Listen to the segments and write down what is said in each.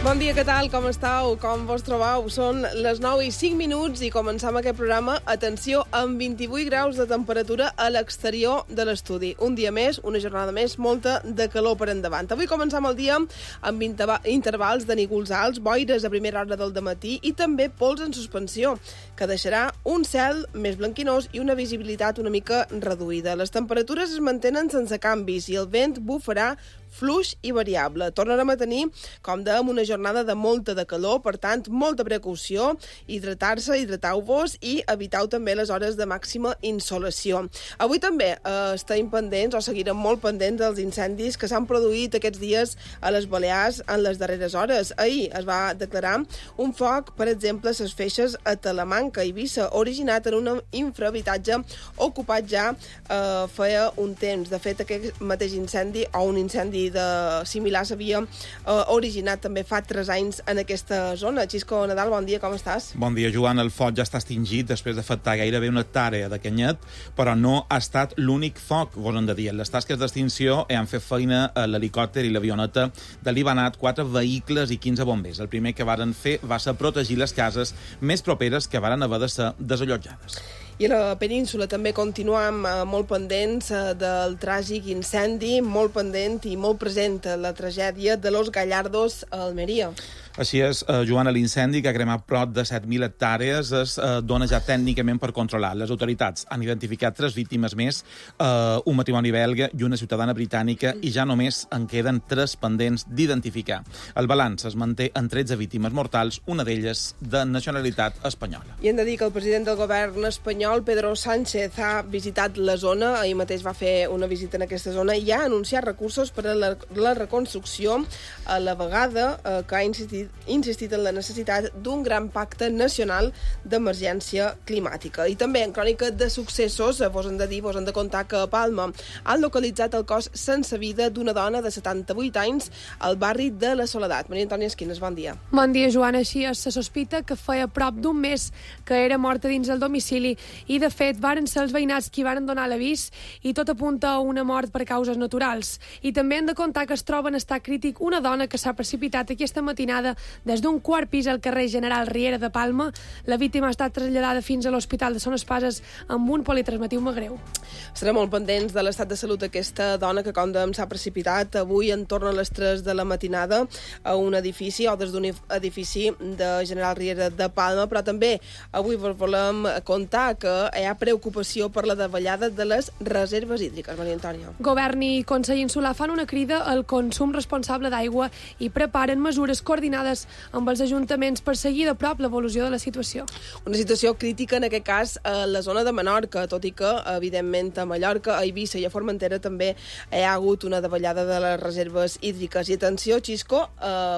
Bon dia, què tal? Com estàu? Com vos trobeu? Són les 9:05 i començam aquest programa. Atenció, amb 28 graus de temperatura a l'exterior de l'estudi. Un dia més, una jornada més, molta de calor per endavant. Avui començam el dia amb intervals de nígols alts, boires a primera hora del dematí i també pols en suspensió, que deixarà un cel més blanquinós i una visibilitat una reduïda. Les temperatures es mantenen sense canvis i el vent bufarà fluix i variable. Tornarem a tenir, com dèiem, una jornada de molta de calor, per tant, molta precaució, hidratar-se, hidrateu-vos i eviteu també les hores de màxima insolació. Avui també estem pendents, o seguirem molt pendents dels incendis que s'han produït aquests dies a les Balears en les darreres hores. Ahir es va declarar un foc, per exemple, a les Feixes a Talamanca, Eivissa, originat en un infrahabitatge ocupat ja feia un temps. De fet, aquest mateix incendi, o un incendi similar s'havia originat també fa 3 anys en aquesta zona. Xisco Nadal, bon dia, com estàs? Bon dia, Joan. El foc ja està extingit després d'afectar gairebé una hectàrea de canyet, però no ha estat l'únic foc, vos hem de dir. Les tasques d'extinció han fet feina a l'helicòpter i l'avioneta de l'Ibanat, 4 vehicles i 15 bombers. El primer que varen fer va ser protegir les cases més properes que varen haver de ser desallotjades. I a la península també continuam molt pendents del tràgic incendi, molt pendent i molt present la tragèdia de Los Gallardos a Almeria. Així és, Joan, l'incendi que ha cremat prop de 7.000 hectàrees es dona ja tècnicament per controlar. Les autoritats han identificat 3 víctimes més, un matrimoni belga i una ciutadana britànica, i ja només en queden 3 pendents d'identificar. El balanç es manté en 13 víctimes mortals, una d'elles de nacionalitat espanyola. I hem de dir que el president del govern espanyol, Pedro Sánchez, ha visitat la zona, ahir mateix va fer una visita en aquesta zona i ha anunciat recursos per a la reconstrucció, a la vegada que ha insistit en la necessitat d'un gran pacte nacional d'emergència climàtica. I també en crònica de successos, vos hem de contar que a Palma han localitzat el cos sense vida d'una dona de 78 anys al barri de la Soledat. Maria Antònia Esquines, bon dia. Bon dia, Joan. Així se sospita que feia prop d'un mes que era morta dins el domicili i, de fet, varen ser els veïnats qui varen donar l'avís i tot apunta a una mort per causes naturals. I també hem de contar que es troba en estat crític una dona que s'ha precipitat aquesta matinada des d'un 4º pis al carrer General Riera de Palma. La víctima ha estat traslladada fins a l'Hospital de Son Espases amb un politransmitiu greu. Estarem molt pendents de l'estat de salut d'aquesta dona que, com dèiem, s'ha precipitat avui entorn a les 3 de la matinada a un edifici, o des d'un edifici de General Riera de Palma, però també avui volem contar que hi ha preocupació per la davallada de les reserves hídriques. Maria Antònia. Govern i Consell Insular fan una crida al consum responsable d'aigua i preparen mesures coordinades amb els ajuntaments per seguir de prop l'evolució de la situació. Una situació crítica, en aquest cas, a la zona de Menorca, tot i que, evidentment, a Mallorca, a Eivissa i a Formentera també hi ha hagut una davallada de les reserves hídriques. I atenció, Xisco,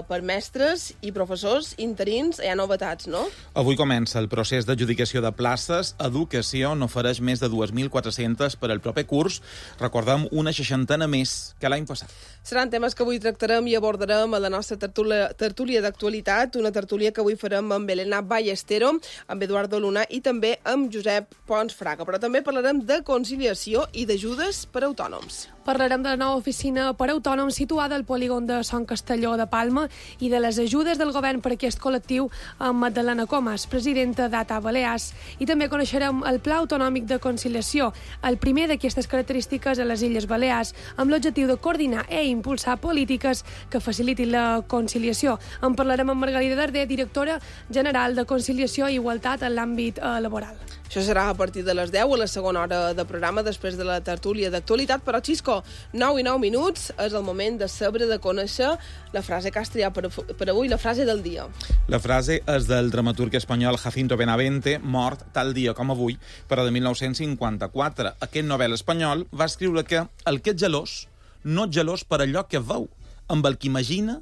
per mestres i professors interins hi ha novetats, no? Avui comença el procés d'adjudicació de places. Educació n'ofereix més de 2.400 per al proper curs. Recordem, una 60 més que l'any passat. Seran temes que avui tractarem i abordarem a la nostra tertúlia d'actualitat, una tertúlia que avui farem amb Elena Ballestero, amb Eduardo Luna i també amb Josep Pons Fraga. Però també parlarem de conciliació i d'ajudes per a autònoms. Parlarem de la nova oficina per a autònoms situada al polígon de Sant Castelló de Palma i de les ajudes del govern per a aquest col·lectiu amb Magdalena Comas, presidenta d'ATA Balears. I també coneixerem el Pla Autonòmic de Conciliació, el primer d'aquestes característiques a les Illes Balears, amb l'objectiu de coordinar i impulsar polítiques que facilitin la conciliació. En parlarem amb Margarida Darder, directora general de Conciliació i Igualtat en l'àmbit laboral. Això serà a partir de les 10, a la segona hora de programa, després de la tertúlia d'actualitat. Però, Xisco, 9:09, és el moment de saber, de conèixer la frase que has triat per avui, la frase del dia. La frase és del dramaturg espanyol Jacinto Benavente, mort tal dia com avui, però de 1954. Aquest novel espanyol va escriure que el que ets gelós, no ets gelós per allò que veu, amb el que imagina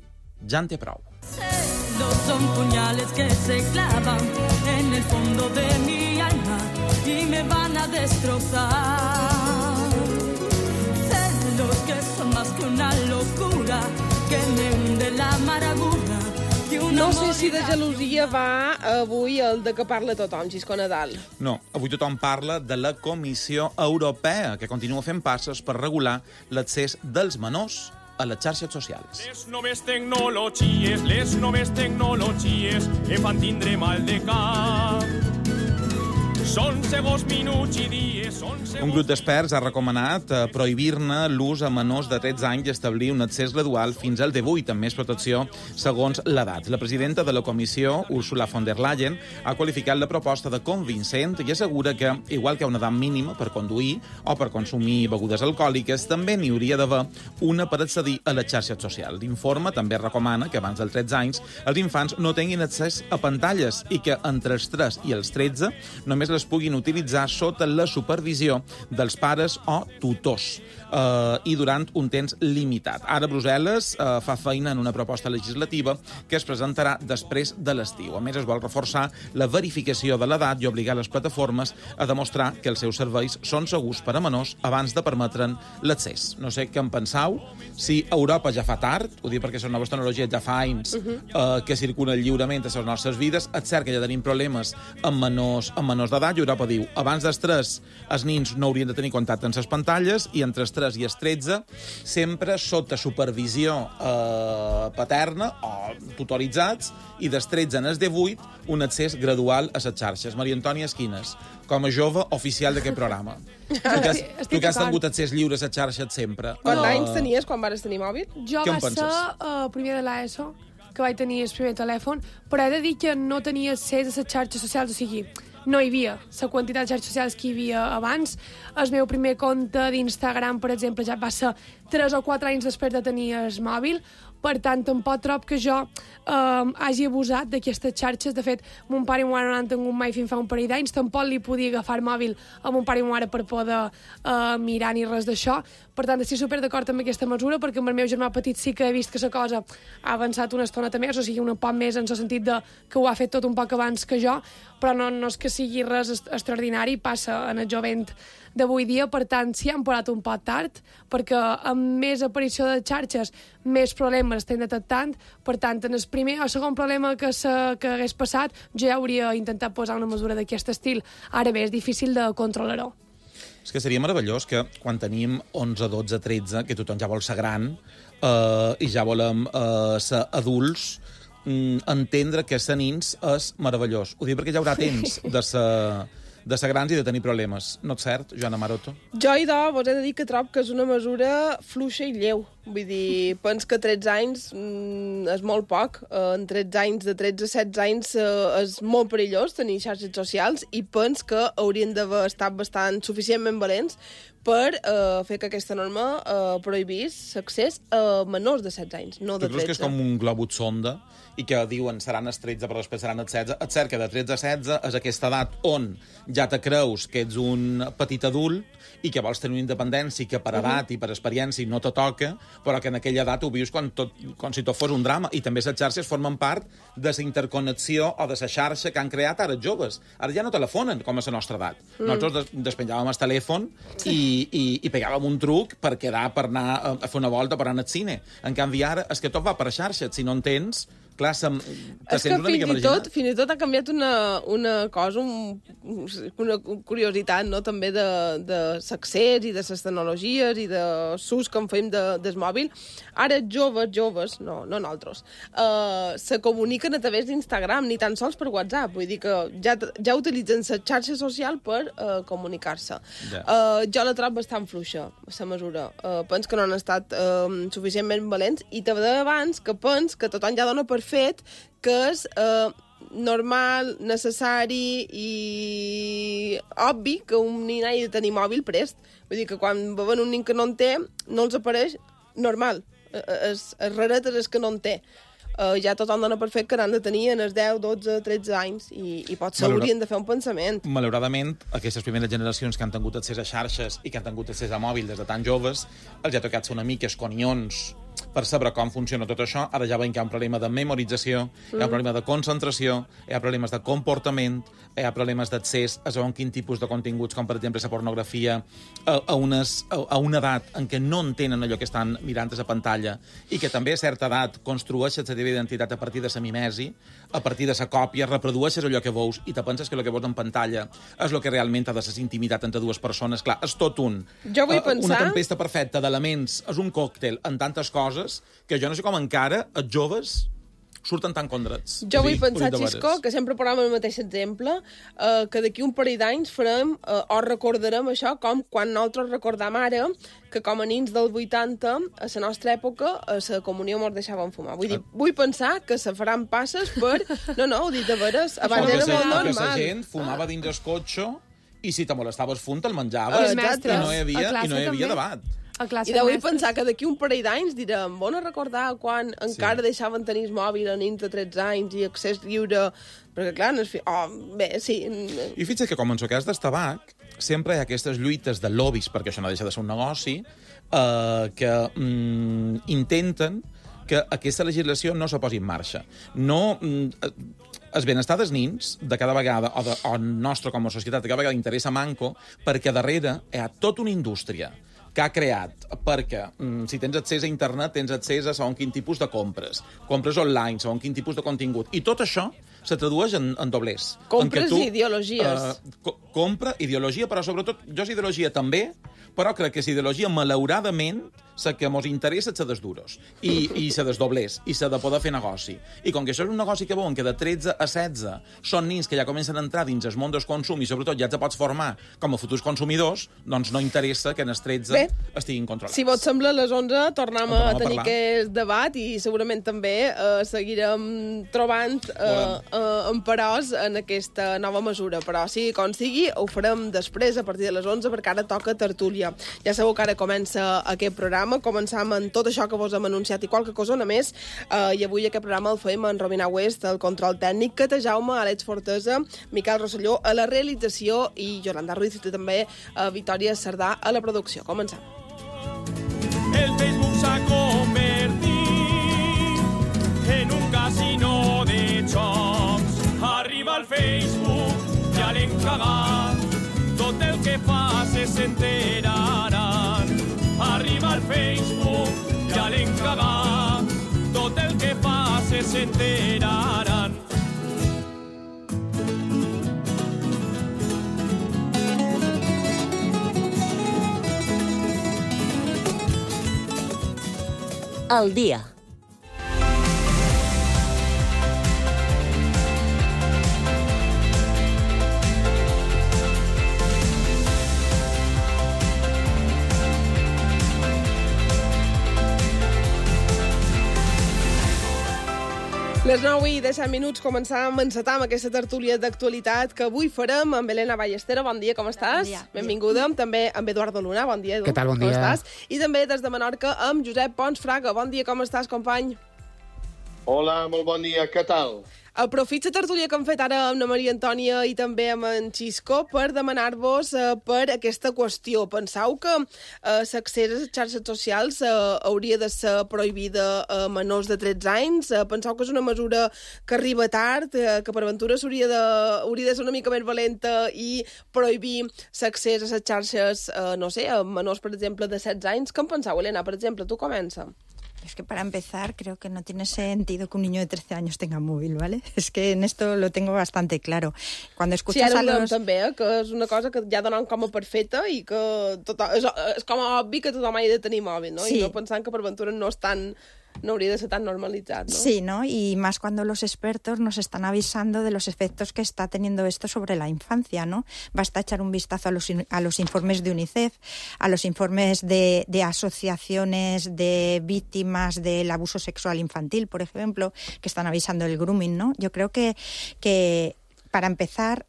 ja en té prou. Celos son puñales que se clavan en el fondo de mi alma y me van a destrozar. Celos que son más que una locura que me hunde la amargura. No sé si de gelosia va avui el de que parla tothom, Xisco Nadal. No, avui tothom parla de la Comissió Europea, que continua fent passes per regular l'accés dels menors a les xarxes socials. Les noves tecnologies em fan tindre mal de cap. Són segons minuts i dies, Un grup d'experts ha recomanat prohibir-ne l'ús a menors de 13 anys i establir un accés gradual fins al 18, amb més protecció segons l'edat. La presidenta de la comissió, Ursula von der Leyen, ha qualificat la proposta de convincent i assegura que, igual que una edat mínima per conduir o per consumir begudes alcohòliques, també n'hi hauria d'haver una per accedir a les xarxes socials. L'informe també recomana que abans dels 13 anys els infants no tinguin accés a pantalles i que entre els 3 i els 13 només les puguin utilitzar sota la supervisió dels pares o tutors i durant un temps limitat. Ara Brussel·les fa feina en una proposta legislativa que es presentarà després de l'estiu. A més, es vol reforçar la verificació de l'edat i obligar les plataformes a demostrar que els seus serveis són segurs per a menors abans de permetre'n l'accés. No sé què en penseu, si Europa ja fa tard, ho dic perquè les noves tecnologies ja fa anys que circulen lliurement a les nostres vides, és cert que ja tenim problemes amb menors d'edat, i Europa diu, abans dels 3 els nins no haurien de tenir contacte amb les pantalles i entre els 3 i els 13 sempre sota supervisió paterna o tutoritzats i dels 13 als 18 un accés gradual a les xarxes. Maria Antònia Esquines, com a jove oficial d'aquest programa. Tu que has tingut accés lliure a les xarxes sempre. Quants anys tenies quan vas tenir mòbil? Jo va ser primer de l'ESO, que vaig tenir el primer telèfon, però he de dir que no tenia accés a les xarxes socials, o sigui, no hi havia la quantitat de xarxes socials que hi havia abans. El meu primer compte d'Instagram, per exemple, ja va ser 3 o 4 anys després de tenir el mòbil. Per tant, tampoc trob que jo hagi abusat d'aquestes xarxes. De fet, mon pare i ma mare no han tingut mai fins fa un parell d'anys. Tampoc li podia agafar el mòbil a mon pare i ma mare per poder mirar ni res d'això. Per tant, estic super d'acord amb aquesta mesura, perquè amb el meu germà petit sí que he vist que la cosa ha avançat una estoneta més, o sigui, un poc més en el sentit de que ho ha fet tot un poc abans que jo, però no és que sigui res extraordinari, passa en el jovent d'avui dia. Per tant, s'hi han posat un poc tard, perquè amb més aparició de xarxes, més problemes estem detectant. Per tant, en el primer o segon problema que hagués passat, jo ja hauria intentat posar una mesura d'aquest estil. Ara bé, és difícil de controlar-ho. És que seria meravellós que quan tenim 11, 12, 13, que tothom ja vol ser gran i ja volem ser adults, entendre que ser nins és meravellós. Ho dic perquè ja haurà temps de ser grans i de tenir problemes. No és cert, Joana Maroto? Jo, vos he de dir que trobo que és una mesura fluixa i lleu. Vull dir, pens que 13 anys és molt poc. En 13 anys, de 13 a 16 anys, és molt perillós tenir xarxes socials i pens que haurien d'haver estat bastant suficientment valents per fer que aquesta norma prohibís l'accés a menors de 16 anys, no de 13. Tu creus que és com un globus sonda i que diuen seran els 13 però després seran els 16? És cert que de 13 a 16 és aquesta edat on ja te creus que ets un petit adult i que vols tenir una independència que per edat i per experiència no te toca, però que en aquella edat ho vius com si tot fos un drama. I també les xarxes formen part de la interconnexió o de la xarxa que han creat ara els joves. Ara ja no telefonen com a la nostra edat. Nosaltres despenjàvem el telèfon i pegàvem un truc per quedar, per anar a fer una volta, per anar al cine. En canvi ara és que tot va per xarxes. Si no en tens, clar, és que fins i tot ha canviat una cosa, una curiositat, no?, també de l'accés i de les tecnologies i de l'ús que en fem del mòbil. Ara joves, no nosaltres, se comuniquen a través d'Instagram, ni tan sols per WhatsApp. Vull dir que ja utilitzen la xarxa social per comunicar-se. Jo la trobo bastant fluixa, la mesura. Pens que no han estat suficientment valents i te deia abans que pens que tothom ja dona per fet que és normal, necessari i obvi que un nin hagi de tenir mòbil prest. Vull dir que quan veuen un nin que no en té, no els apareix normal. És raret és que no en té. Ja tothom dona per fet que n'han de tenir en els 10, 12, 13 anys i potser haurien de fer un pensament. Malauradament, aquestes primeres generacions que han tingut accés a xarxes i que han tingut accés a mòbil des de tan joves, els ha tocat ser una mica esconions per saber com funciona tot això. Ara ja veiem que hi ha un problema de memorització, hi ha un problema de concentració, hi ha problemes de comportament, hi ha problemes d'accés a segons quin tipus de continguts, com per exemple la pornografia, a una edat en què no entenen allò que estan mirant a la pantalla i que també a certa edat construeixes la teva identitat a partir de la mimesi, a partir de la còpia, reprodueixes allò que veus i te penses que el que veus en pantalla és el que realment ha de ser intimitat entre dues persones. Clar, és tot Jo vull pensar... una tempesta perfecta d'elements, és un còctel en tantes coses que jo no sé com encara els joves surten tan condrets. Jo vull pensar, Xisco, que sempre posem el mateix exemple, que d'aquí un parell d'anys farem o recordarem això com quan nosaltres recordam ara que com a nins del 80, a la nostra època, a la comunió mos deixaven fumar. Vull dir, vull pensar que se faran passes per... No, ho dic de veres, abans era molt normal. Que la gent fumava dins el cotxe i si te molestaves funt, te'l menjaves. Exacte. I no hi havia debat. I de vull pensar que d'aquí un parell d'anys direm, bon a recordar quan encara deixaven tenir el mòbil a nins de 13 anys i accés lliure, perquè clar, no és... bé, sí. I fixa't que com en el cas del tabac, sempre hi ha aquestes lluites de lobbies, perquè això no deixa de ser un negoci, que intenten que aquesta legislació no se posi en marxa. No... El benestar dels nins, de cada vegada, o nostre com a societat, de cada vegada interessa manco, perquè darrere hi ha tota una indústria que ha creat, perquè si tens accés a internet, tens accés a segons quin tipus de compres online, segons quin tipus de contingut. I tot això se tradueix en doblers. Compres i ideologies. Compra, ideologia, però sobretot, jo és ideologia també, però crec que és ideologia, malauradament, la que mos interessa ser des duros, i ser des doblers, i ser de poder fer negoci. I com que això és un negoci que veuen que de 13 a 16 són nins que ja comencen a entrar dins el món del consum i sobretot ja te pots formar com a futurs consumidors, doncs no interessa que en els 13 estiguin controlats. Si vos sembla, a les 11 tornem a tenir aquest debat i segurament també seguirem trobant emparors en aquesta nova mesura. Però sigui com sigui, ho farem després, a partir de les 11, perquè ara toca tertúlia. Ja sabeu que ara comença aquest programa, començam amb tot això que vos hem anunciat i qualque cosona més, i avui aquest programa el fem en Romina West, el control tècnic, Cata Jaume, Àlex Fortesa, Miquel Rosselló a la realització i Yolanda Ruiz i també Victòria Cerdà a la producció. Començam. El Facebook s'ha convertit en un casino de jocs. Arriba al Facebook, ja l'hem cagat, tot el que fas s'enteraran. Arriba al Facebook, ja l'hem cagat, tot el que fas s'enteraran. Al dia. Les 9 i 17 minuts encetam aquesta tertúlia d'actualitat que avui farem amb Helena Ballestero. Bon dia, com estàs? Bon dia. Benvinguda. També amb Eduardo Luna. Bon dia, Edu. Què tal, bon dia. Com estàs? I també des de Menorca amb Josep Pons Fraga. Bon dia, com estàs, company? Hola, molt bon dia. Què tal? Aprofito la tertúlia que hem fet ara amb la Maria Antònia i també amb en Xisco per demanar-vos per aquesta qüestió. Penseu que l'accés a les xarxes socials hauria de ser prohibida a menors de 13 anys? Penseu que és una mesura que arriba tard, que per aventura hauria de ser una mica més valenta i prohibir l'accés a les xarxes, no sé, a menors, per exemple, de 16 anys? Què en penseu, Helena? Per exemple, tu comença. Es que para empezar creo que no tiene sentido que un niño de 13 años tenga móvil, ¿vale? Es que en esto lo tengo bastante claro. Cuando escuchas a los... també, que és una cosa que ja donen com a perfecta i que és com a obvi que tothom ha de tenir mòbil, no? Sí. I no pensant que per aventura no hauria de ser tan normalitzat, ¿no? Sí, ¿no? Y más cuando los expertos nos están avisando de los efectos que está teniendo esto sobre la infancia, ¿no? Basta echar un vistazo a los informes de UNICEF, a los informes de asociaciones de víctimas del abuso sexual infantil, por ejemplo, que están avisando del grooming, ¿no? Yo creo que para empezar,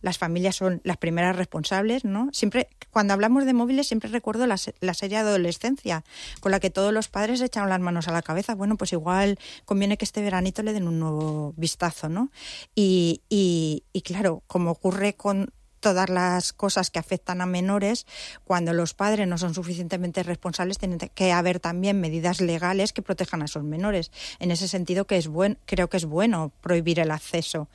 las familias son las primeras responsables, ¿no? Siempre, cuando hablamos de móviles, siempre recuerdo la serie de Adolescencia, con la que todos los padres echaron las manos a la cabeza. Bueno, pues igual conviene que este veranito le den un nuevo vistazo, ¿no? Y claro, como ocurre con todas las cosas que afectan a menores, cuando los padres no son suficientemente responsables, tienen que haber también medidas legales que protejan a esos menores. En ese sentido creo que es bueno prohibir el acceso,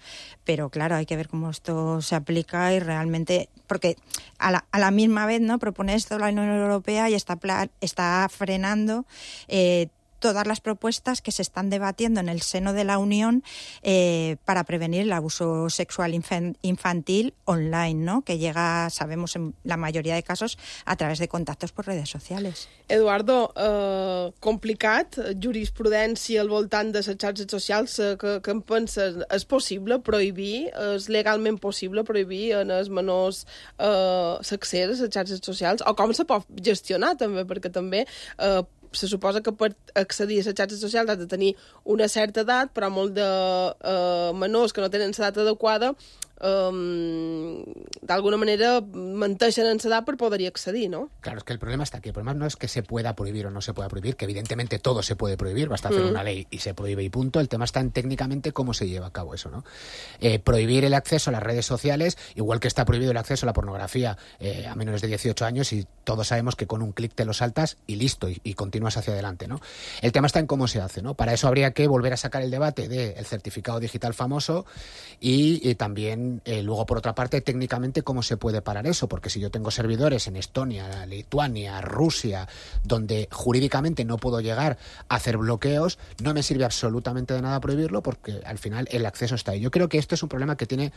pero claro, hay que ver cómo esto se aplica y realmente, porque a la misma vez, ¿no?, propone esto la Unión Europea y está frenando todas las propuestas que se están debatiendo en el seno de la Unión para prevenir el abuso sexual infantil online, ¿no?, que llega, sabemos, en la mayoría de casos a través de contactos por redes sociales. Eduardo, complicat, jurisprudència al voltant de les xarxes socials, que em penses, és possible prohibir, és legalment possible prohibir en els menors l'accés a les xarxes socials, o com se pot gestionar també, perquè també se suposa que per accedir a les xarxes socials has de tenir una certa edat, però molt de menors que no tenen l'edat adequada d'alguna manera menteixen en l'edat per poder-hi accedir, ¿no? Claro, es que el problema está aquí. El problema no es que se pueda prohibir o no se pueda prohibir, que evidentemente todo se puede prohibir, basta hacer una ley y se prohíbe y punto. El tema está en técnicamente cómo se lleva a cabo eso, ¿no? Prohibir el acceso a las redes sociales, igual que está prohibido el acceso a la pornografía a menores de 18 años, y todos sabemos que con un clic te lo saltas y listo, y continúas hacia adelante, ¿no? El tema está en cómo se hace, ¿no? Para eso habría que volver a sacar el debate del certificado digital famoso y también luego, por otra parte, técnicamente cómo se puede parar eso, porque si yo tengo servidores en Estonia, Lituania, Rusia, donde jurídicamente no puedo llegar a hacer bloqueos, no me sirve absolutamente de nada prohibirlo, porque al final el acceso está ahí. Yo creo que esto es un problema que tiene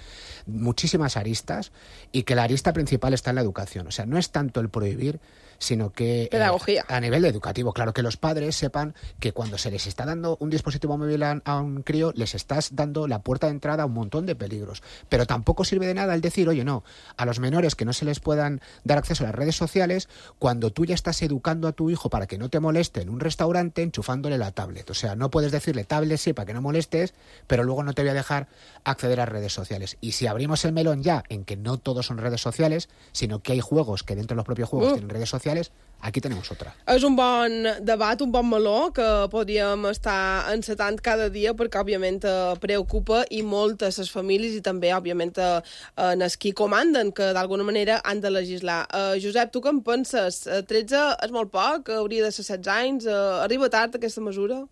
muchísimas aristas y que la arista principal está en la educación. O sea, no es tanto el prohibir, sino que pedagogía. A nivel educativo, claro, que los padres sepan que cuando se les está dando un dispositivo móvil a un crío, les estás dando la puerta de entrada a un montón de peligros. Pero tampoco sirve de nada el decir, oye, no, a los menores que no se les puedan dar acceso a las redes sociales, cuando tú ya estás educando a tu hijo para que no te moleste en un restaurante enchufándole la tablet. O sea, no puedes decirle tablet sí para que no molestes, pero luego no te voy a dejar acceder a redes sociales. Y si abrimos el melón ya en que no todos son redes sociales, sino que hay juegos que dentro de los propios juegos tienen redes sociales, aquí tenemos otra. És un bon debat, un bon meló que podríem estar encetant cada dia, perquè òbviament preocupa i molt a les famílies i també òbviament en els qui comanden, que d'alguna manera han de legislar. Josep, tu què en penses? 13 és molt poc? Hauria de ser 16 anys? Arriba tard aquesta mesura?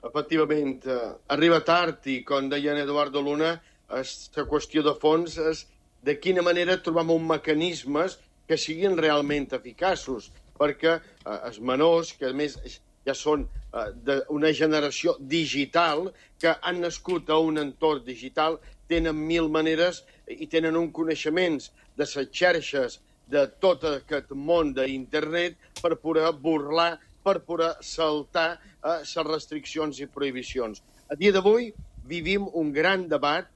Efectivament, arriba tard i, com deia en Eduardo Luna, la qüestió de fons és de quina manera trobem uns mecanismes que siguin realment eficaços, perquè els menors, que a més ja són d'una generació digital, que han nascut a un entorn digital, tenen 1000 maneres i tenen un coneixement de les xarxes de tot aquest món d'internet per poder burlar, per poder saltar les restriccions i prohibicions. A dia d'avui vivim un gran debat,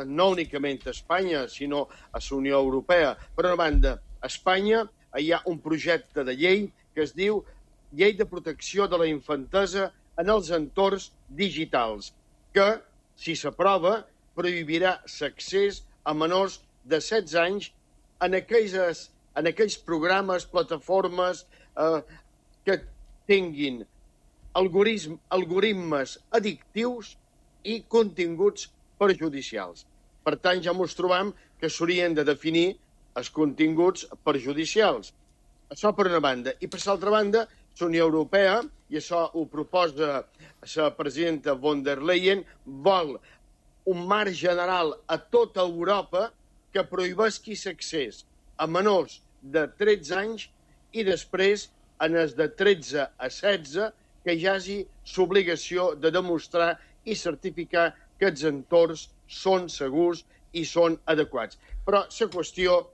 no únicament a Espanya, sinó a la Unió Europea. Per una banda, a Espanya hi ha un projecte de llei que es diu Llei de Protecció de la Infantesa en els entorns digitals, que, si s'aprova, prohibirà l'accés a menors de 16 anys en aquells programes, plataformes que tinguin algoritmes addictius i continguts perjudicials. Per tant, ja ens trobam que s'haurien de definir els continguts perjudicials. Això per una banda. I per l'altra banda, la Unió Europea, i això ho proposa la presidenta von der Leyen, vol un marc general a tota Europa que prohibeixi l'accés a menors de 13 anys i després, en els de 13 a 16, que hi hagi l'obligació de demostrar i certificar que els entorns són segurs i són adequats. Però la qüestió,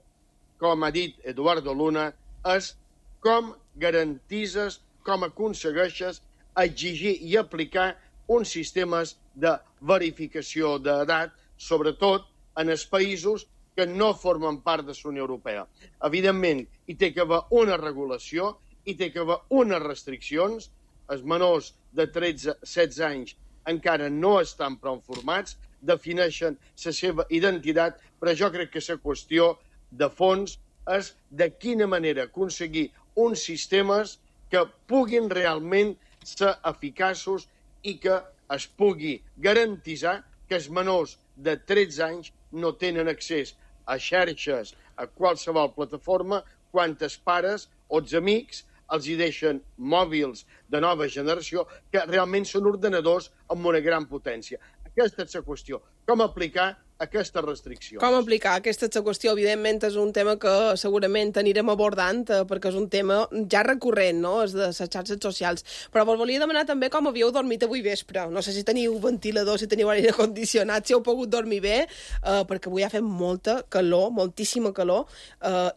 com ha dit Eduardo Luna, és com garantises, com aconsegueixes exigir i aplicar uns sistemes de verificació d'edat, sobretot en els països que no formen part de la Unió Europea. Evidentment, hi té que haver una regulació, hi té que haver unes restriccions. Els menors de 13-16 anys encara no estan prou formats, defineixen la seva identitat, però jo crec que la qüestió de fons és de quina manera aconseguir uns sistemes que puguin realment ser eficaços i que es pugui garantitzar que els menors de 13 anys no tenen accés a xarxes, a qualsevol plataforma, quantes pares o els amics els hi deixen mòbils de nova generació que realment són ordenadors amb una gran potència. Aquesta és la qüestió. Com aplicar aquestes restriccions? Com aplicar? Aquesta és la qüestió. Evidentment és un tema que segurament anirem abordant perquè és un tema ja recurrent, no?, és de les xarxes socials. Però vos volia demanar també com havíeu dormit avui vespre. No sé si teniu ventilador, si teniu aire condicionat, si heu pogut dormir bé, perquè avui ha fet molta calor, moltíssima calor,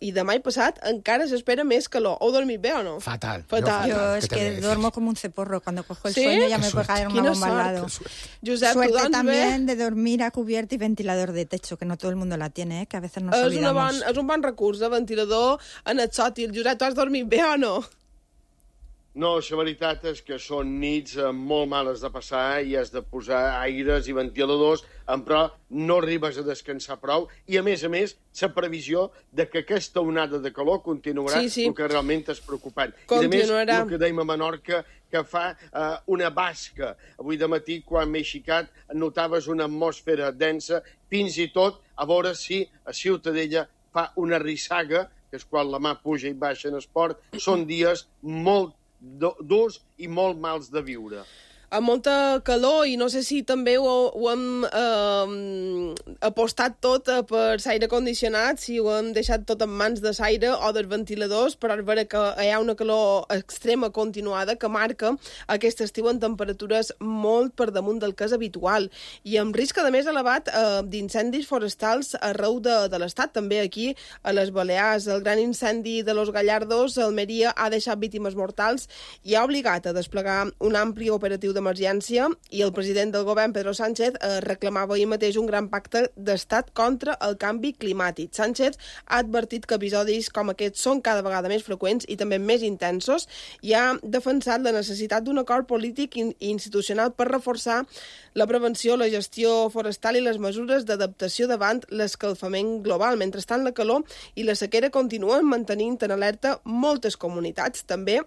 i demà i passat encara s'espera més calor. Heu dormit bé o no? Fatal. Yo es que duermo como un ceporro. Cuando cojo el sueño ya me puede caer una bomba al lado. Josep, Suerte también de dormir a cubierta y ventilador de techo, que no todo el mundo la tiene, que a veces nos olvidamos. És un bon recurs, ventilador en el sòtil. Josep, tu has dormit bé o no? No, la veritat és que són nits molt males de passar i has de posar aires i ventiladors, però no arribes a descansar prou i, a més, la previsió de que aquesta onada de calor continuarà, el que realment és preocupant. Continuarà. I, a més, el que dèiem a Menorca, que fa una basca. Avui de matí, quan m'he aixecat, notaves una atmosfera densa, fins i tot a veure si a Ciutadella fa una rissaga, que és quan la mà puja i baixa en esport. Són dies molt durs i molt mals de viure. Amb molta calor, i no sé si també ho hem apostat tot per l'aire condicionat, si ho hem deixat tot en mans de l'aire o dels ventiladors, però és vera que hi ha una calor extrema continuada que marca aquest estiu en temperatures molt per damunt del que és habitual, i amb risc de més elevat d'incendis forestals arreu de l'Estat, també aquí a les Balears. El gran incendi de Los Gallardos a Almeria ha deixat víctimes mortals i ha obligat a desplegar un ampli operatiu d'emergència, i el president del govern, Pedro Sánchez, reclamava ahir mateix un gran pacte d'estat contra el canvi climàtic. Sánchez ha advertit que episodis com aquests són cada vegada més freqüents i també més intensos, i ha defensat la necessitat d'un acord polític i institucional per reforçar la prevenció, la gestió forestal i les mesures d'adaptació davant l'escalfament global. Mentrestant, la calor i la sequera continuen mantenint en alerta moltes comunitats, també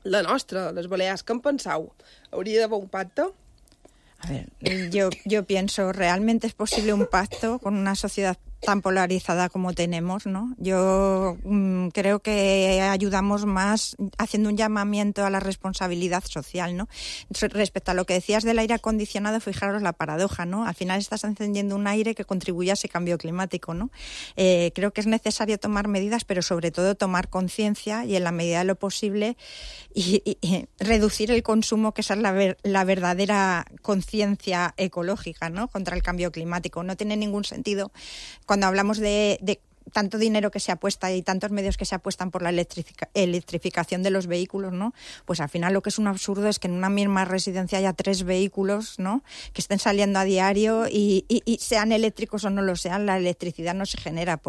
la nostra, les Balears. ¿Qué en penseu? ¿Habría d'haver un pacte? A ver, yo pienso, ¿realmente es posible un pacto con una sociedad tan polarizada como tenemos, ¿no? Yo creo que ayudamos más haciendo un llamamiento a la responsabilidad social, ¿no? Respecto a lo que decías del aire acondicionado, fijaros la paradoja, ¿no? Al final estás encendiendo un aire que contribuye a ese cambio climático, ¿no? Creo que es necesario tomar medidas, pero sobre todo tomar conciencia y en la medida de lo posible y reducir el consumo, que esa es la verdadera conciencia ecológica, ¿no? Contra el cambio climático. No tiene ningún sentido cuando hablamos de tanto dinero que se apuesta y tantos medios que se apuestan por la electrificación de los vehículos, ¿no? Pues al final lo que es un absurdo es que en una misma residencia haya 3 vehículos, ¿no?, que estén saliendo a diario y sean eléctricos o no lo sean. La electricidad no se genera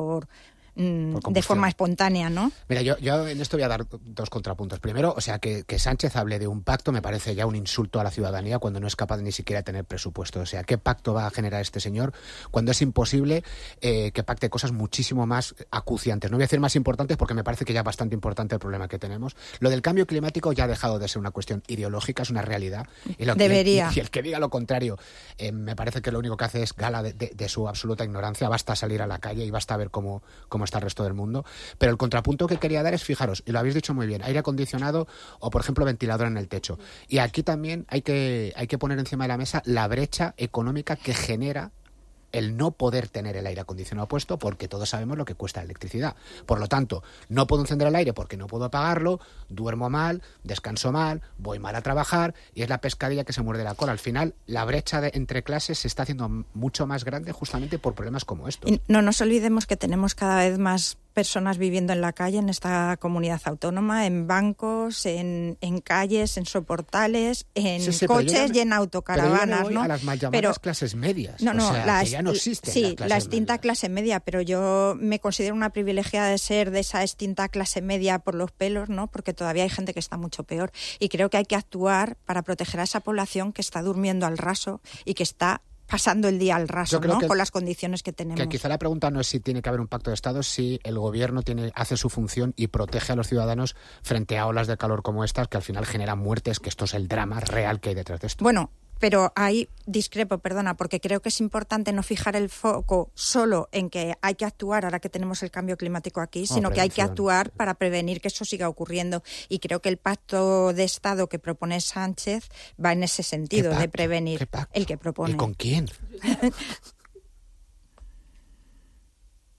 de forma espontánea, ¿no? Mira, yo en esto voy a dar 2 contrapuntos. Primero, o sea, que Sánchez hable de un pacto me parece ya un insulto a la ciudadanía cuando no es capaz ni siquiera de tener presupuesto. O sea, ¿qué pacto va a generar este señor cuando es imposible que pacte cosas muchísimo más acuciantes? No voy a decir más importantes porque me parece que ya es bastante importante el problema que tenemos. Lo del cambio climático ya ha dejado de ser una cuestión ideológica, es una realidad. Debería. Y el que diga lo contrario, me parece que lo único que hace es gala de su absoluta ignorancia. Basta salir a la calle y basta ver cómo está el resto del mundo. Pero el contrapunto que quería dar es, fijaros, y lo habéis dicho muy bien, aire acondicionado o, por ejemplo, ventilador en el techo. Y aquí también hay que poner encima de la mesa la brecha económica que genera el no poder tener el aire acondicionado puesto, porque todos sabemos lo que cuesta la electricidad. Por lo tanto, no puedo encender el aire porque no puedo apagarlo, duermo mal, descanso mal, voy mal a trabajar, y es la pescadilla que se muerde la cola. Al final, la brecha entre clases se está haciendo mucho más grande justamente por problemas como estos. Y no nos olvidemos que tenemos cada vez más personas viviendo en la calle en esta comunidad autónoma, en bancos, en calles, en soportales, en coches y en autocaravanas, pero ¿no? A las mal llamadas clases medias. No, o sea, que ya no existen. Sí, la extinta clase media, pero yo me considero una privilegiada de ser de esa extinta clase media por los pelos, ¿no? Porque todavía hay gente que está mucho peor. Y creo que hay que actuar para proteger a esa población que está durmiendo al raso y que está pasando el día al raso, ¿no?, con las condiciones que tenemos. Que quizá la pregunta no es si tiene que haber un pacto de Estado, si el gobierno hace su función y protege a los ciudadanos frente a olas de calor como estas, que al final generan muertes, que esto es el drama real que hay detrás de esto. Bueno, Pero ahí discrepo, perdona, porque creo que es importante no fijar el foco solo en que hay que actuar ahora que tenemos el cambio climático aquí, sino que hay que actuar para prevenir que eso siga ocurriendo. Y creo que el pacto de Estado que propone Sánchez va en ese sentido, de prevenir. El que propone. ¿Y con quién?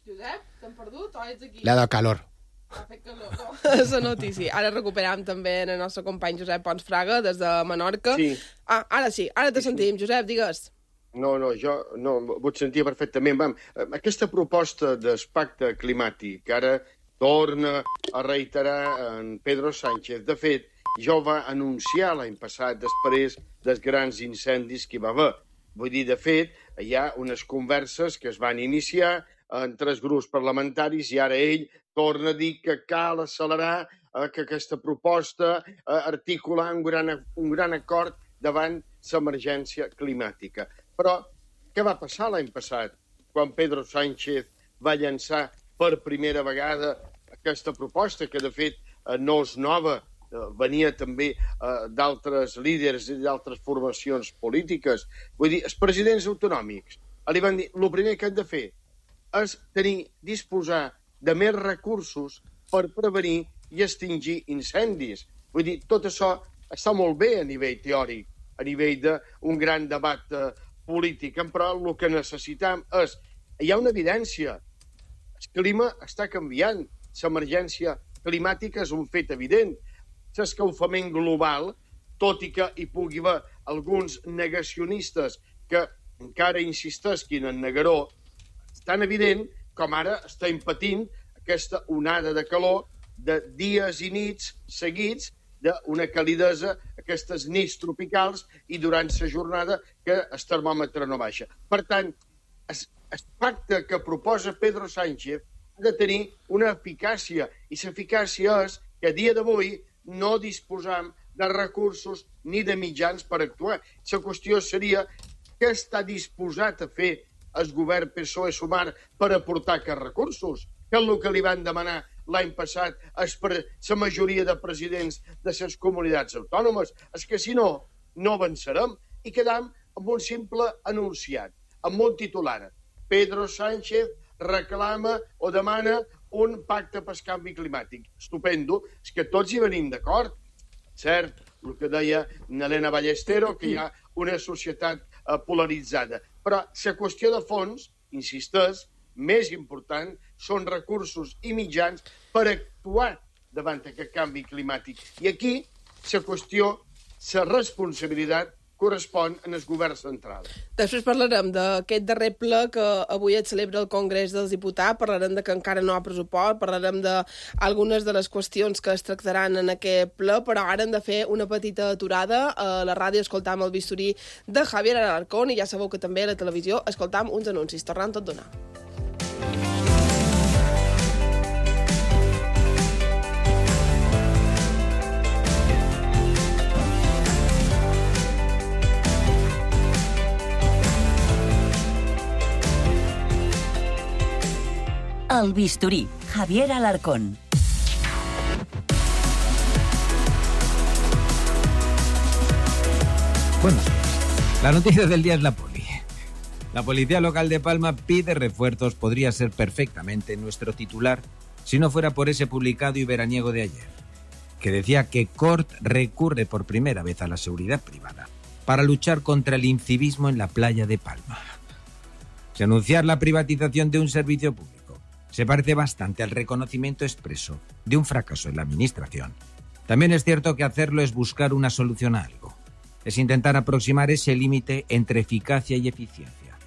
Josep, t'hem perdut o ets aquí? Le ha dado calor. Ha fet calor, no? La notícia. Ara recuperam també el nostre company Josep Pons Fraga, des de Menorca. Sí. Ara sí, ara te sentim. Josep, digues. No, jo ho sentia perfectament. Aquesta proposta del pacte climàtic ara torna a reiterar en Pedro Sánchez. De fet, ja ho va anunciar l'any passat després dels grans incendis que hi va haver. Vull dir, de fet, hi ha unes converses que es van iniciar entre els grups parlamentaris i ara ell torna a dir que cal accelerar que aquesta proposta articular un gran acord davant l'emergència climàtica. Però què va passar l'any passat quan Pedro Sánchez va llançar per primera vegada aquesta proposta, que de fet no és nova, venia també d'altres líders i d'altres formacions polítiques. Vull dir, els presidents autonòmics li van dir el primer que han de fer és disposar de més recursos per prevenir i extingir incendis. Vull dir, tot això està molt bé a nivell teòric, a nivell d'un gran debat polític, però el que necessitem és... Hi ha una evidència. El clima està canviant. L'emergència climàtica és un fet evident. L'escalfament global, tot i que hi pugui haver alguns negacionistes que encara insisteixin en negar-ho, és tan evident com ara estem patint aquesta onada de calor de dies i nits seguits d'una calidesa, aquestes nits tropicals, i durant la jornada que el termòmetre no baixa. Per tant, el pacte que proposa Pedro Sánchez ha de tenir una eficàcia, i l'eficàcia és que a dia d'avui no disposam de recursos ni de mitjans per actuar. La qüestió seria què està disposat a fer el govern PSOE-Sumar per aportar aquests recursos, que és el que li van demanar l'any passat la majoria de presidents de les comunitats autònomes. És que si no, no avançarem i quedam amb un simple anunciat, amb un titular. Pedro Sánchez reclama o demana un pacte pel canvi climàtic. Estupendo, és que tots hi venim d'acord. Cert, el que deia Elena Ballestero, que hi ha una societat polaritzada. Però la qüestió de fons, insisteix, més important, són recursos i mitjans per actuar davant aquest canvi climàtic. I aquí la qüestió, la responsabilitat, correspon en el govern central. Després parlarem d'aquest darrer ple que avui es celebra al Congrés dels Diputats, parlarem de que encara no hi ha pressupost, parlarem d'algunes de les qüestions que es tractaran en aquest ple, però ara hem de fer una petita aturada. A la ràdio escoltam el bisturí de Javier Alarcón i ja sabeu que també a la televisió escoltam uns anuncis. Tornem tot donar. El bisturí, Javier Alarcón. Buenos días. La noticia del día es la poli. La policía local de Palma pide refuerzos, podría ser perfectamente nuestro titular, si no fuera por ese publicado y veraniego de ayer, que decía que Cort recurre por primera vez a la seguridad privada para luchar contra el incivismo en la playa de Palma. Si anunciar la privatización de un servicio público se parece bastante al reconocimiento expreso de un fracaso en la administración, también es cierto que hacerlo es buscar una solución a algo. Es intentar aproximar ese límite entre eficacia y eficiencia,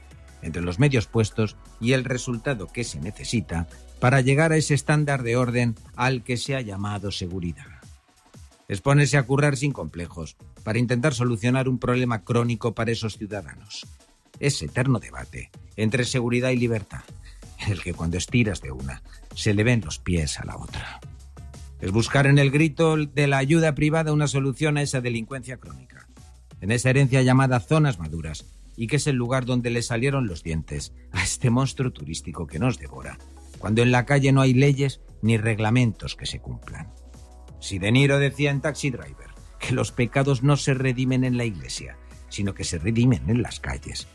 entre los medios puestos y el resultado que se necesita para llegar a ese estándar de orden al que se ha llamado seguridad. Es ponerse a currar sin complejos para intentar solucionar un problema crónico para esos ciudadanos. Ese eterno debate entre seguridad y libertad, en el que cuando estiras de una, se le ven los pies a la otra. Es buscar en el grito de la ayuda privada una solución a esa delincuencia crónica, en esa herencia llamada zonas maduras, y que es el lugar donde le salieron los dientes a este monstruo turístico que nos devora, cuando en la calle no hay leyes ni reglamentos que se cumplan. Si De Niro decía en Taxi Driver que los pecados no se redimen en la iglesia, sino que se dirimen en las calles.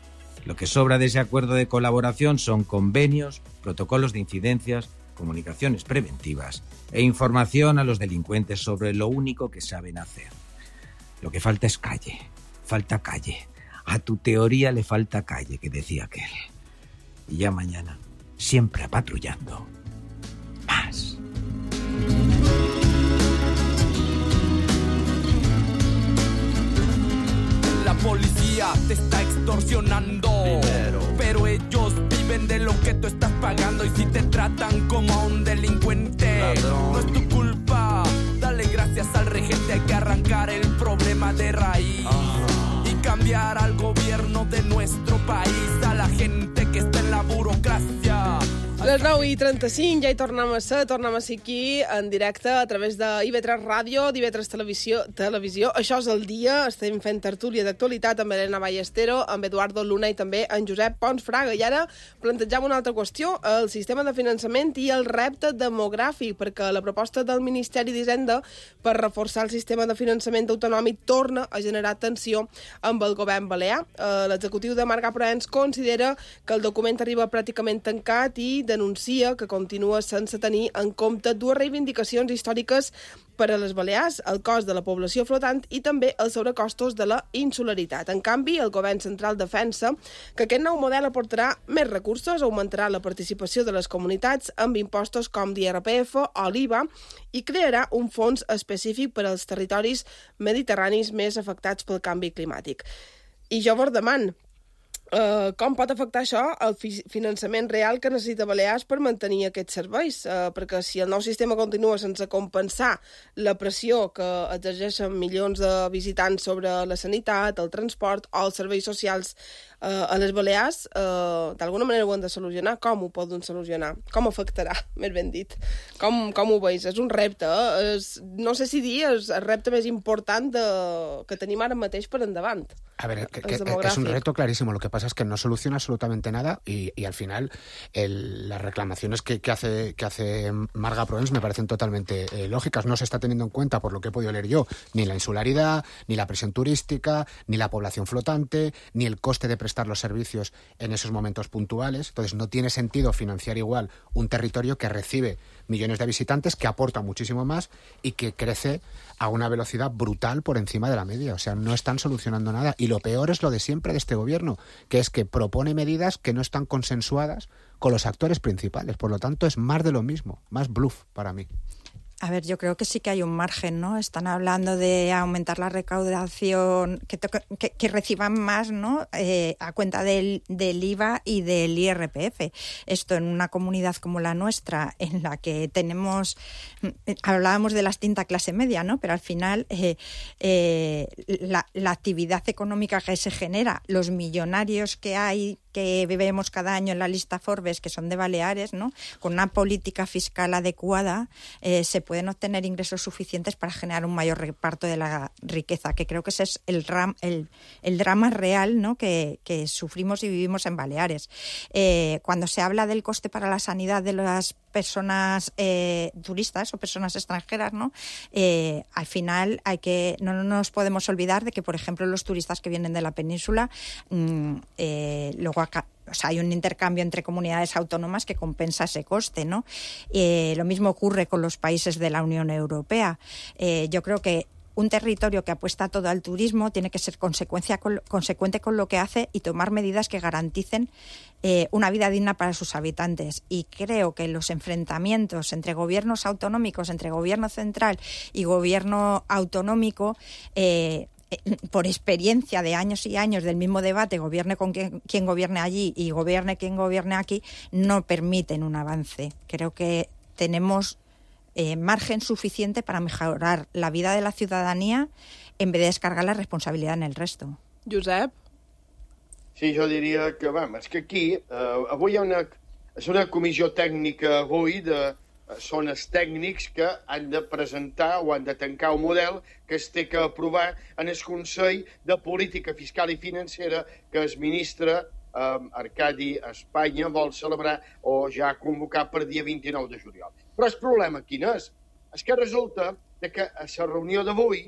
Lo que sobra de ese acuerdo de colaboración son convenios, protocolos de incidencias, comunicaciones preventivas e información a los delincuentes sobre lo único que saben hacer. Lo que falta es calle, falta calle. A tu teoría le falta calle, que decía aquel. Y ya mañana, siempre patrullando. Más. La policía te está extorsionando dinero, pero ellos viven de lo que tú estás pagando. Y si te tratan como a un delincuente, ladrón, no es tu culpa. Dale gracias al regente, hay que arrancar el problema de raíz y cambiar al gobierno de nuestro país, a la gente que está en la burocracia. Les 9:35, ja hi tornem a ser aquí en directe a través de IB3 Ràdio, d'IB3 Televisió. Això és el dia, estem fent tertúlia d'actualitat amb Elena Ballestero, amb Eduardo Luna i també en Josep Pons Fraga. I ara plantegem una altra qüestió, el sistema de finançament i el repte demogràfic, perquè la proposta del Ministeri d'Hisenda per reforçar el sistema de finançament autonòmic torna a generar tensió amb el govern balear. L'executiu de Marga Proens considera que el document arriba pràcticament tancat i denuncia que continua sense tenir en compte dues reivindicacions històriques per a les Balears, el cost de la població flotant i també els sobrecostos de la insularitat. En canvi, el govern central defensa que aquest nou model aportarà més recursos, augmentarà la participació de les comunitats amb impostos com l'IRPF o l'IVA i crearà un fons específic per als territoris mediterranis més afectats pel canvi climàtic. I jo vos demano, com pot afectar això el finançament real que necessita Balears per mantenir aquests serveis? Perquè si el nou sistema continua sense compensar la pressió que exerceixen milions de visitants sobre la sanitat, el transport o els serveis socials a les Balears, d'alguna manera ho han de solucionar. Com ho poden solucionar? Com afectarà, més ben dit? Com ho veus? És un repte, no sé si dir, és el repte més important que tenim ara mateix per endavant. A ver, es un reto clarísimo. Lo que pasa es que no soluciona absolutamente nada y al final las reclamaciones que hace Marga Proens me parecen totalmente lógicas. No se está teniendo en cuenta, por lo que he podido leer yo, ni la insularidad, ni la presión turística, ni la población flotante, ni el coste de prestar los servicios en esos momentos puntuales. Entonces no tiene sentido financiar igual un territorio que recibe millones de visitantes, que aporta muchísimo más y que crece a una velocidad brutal por encima de la media. O sea, no están solucionando nada. Y lo peor es lo de siempre de este gobierno, que es que propone medidas que no están consensuadas con los actores principales. Por lo tanto, es más de lo mismo, más bluff para mí. A ver, yo creo que sí que hay un margen, ¿no? Están hablando de aumentar la recaudación, que reciban más, ¿no? A cuenta del IVA y del IRPF. Esto en una comunidad como la nuestra, en la que hablábamos de la extinta clase media, ¿no? Pero al final la actividad económica que se genera, los millonarios que hay, que vemos cada año en la lista Forbes, que son de Baleares, ¿no? Con una política fiscal adecuada se pueden obtener ingresos suficientes para generar un mayor reparto de la riqueza, que creo que ese es el drama real, ¿no? que sufrimos y vivimos en Baleares. Cuando se habla del coste para la sanidad de las personas turistas o personas extranjeras, ¿no? Al final no nos podemos olvidar de que, por ejemplo, los turistas que vienen de la península luego hay un intercambio entre comunidades autónomas que compensa ese coste, ¿no? Lo mismo ocurre con los países de la Unión Europea. Yo creo que un territorio que apuesta todo al turismo tiene que ser consecuente con lo que hace y tomar medidas que garanticen una vida digna para sus habitantes. Y creo que los enfrentamientos entre gobiernos autonómicos, entre gobierno central y gobierno autonómico, por experiencia de años y años del mismo debate, gobierne con quien gobierne allí y gobierne quien gobierne aquí, no permiten un avance. Creo que tenemos margen suficiente para mejorar la vida de la ciudadanía en vez de descargar la responsabilidad en el resto. Josep? Sí, jo diria que, és que aquí avui és una comissió tècnica avui són els tècnics que han de presentar o han de tancar un model que es té que aprovar en el Consell de Política Fiscal i Financera que el ministre Arcadi Espanya vol celebrar o ja convocar per dia 29 de juliol. Però el problema quin és? És que resulta que a la reunió d'avui,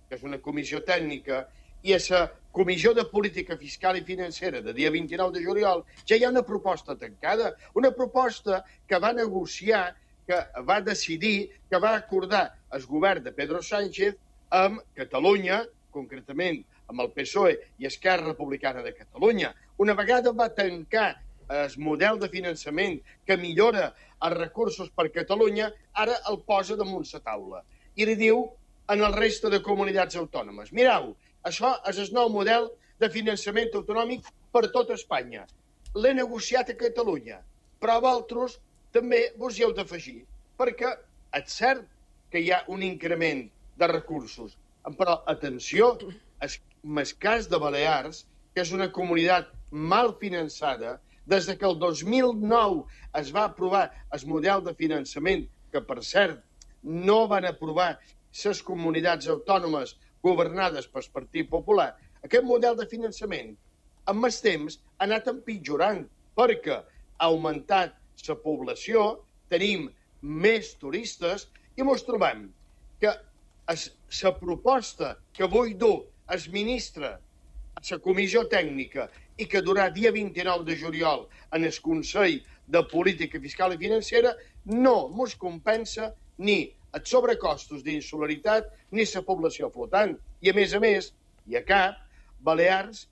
que és una comissió tècnica, i a la Comissió de Política Fiscal i Financera de dia 29 de juliol, ja hi ha una proposta tancada, una proposta que va negociar, que va decidir, que va acordar el govern de Pedro Sánchez amb Catalunya, concretament amb el PSOE i Esquerra Republicana de Catalunya. Una vegada va tancar el model de finançament que millora els recursos per Catalunya, ara el posa damunt la taula. I li diu en el reste de comunitats autònomes: mireu, això és el nou model de finançament autonòmic per tot Espanya. L'he negociat a Catalunya, però vosaltres també vos hi heu d'afegir, perquè és cert que hi ha un increment de recursos. Però, atenció, en el cas de Balears, que és una comunitat mal finançada, des que el 2009 es va aprovar el model de finançament, que, per cert, no van aprovar les comunitats autònomes governades pel Partit Popular, aquest model de finançament, amb el temps, ha anat empitjorant, perquè ha augmentat la població, tenim més turistes, i ens trobem que la proposta que vull dur el ministre a la comissió tècnica i que durà dia 29 de juliol en el Consell de Política Fiscal i Financera no ens compensa ni els sobrecostos d'insularitat ni la població flotant. I, a més, i a cap, Balears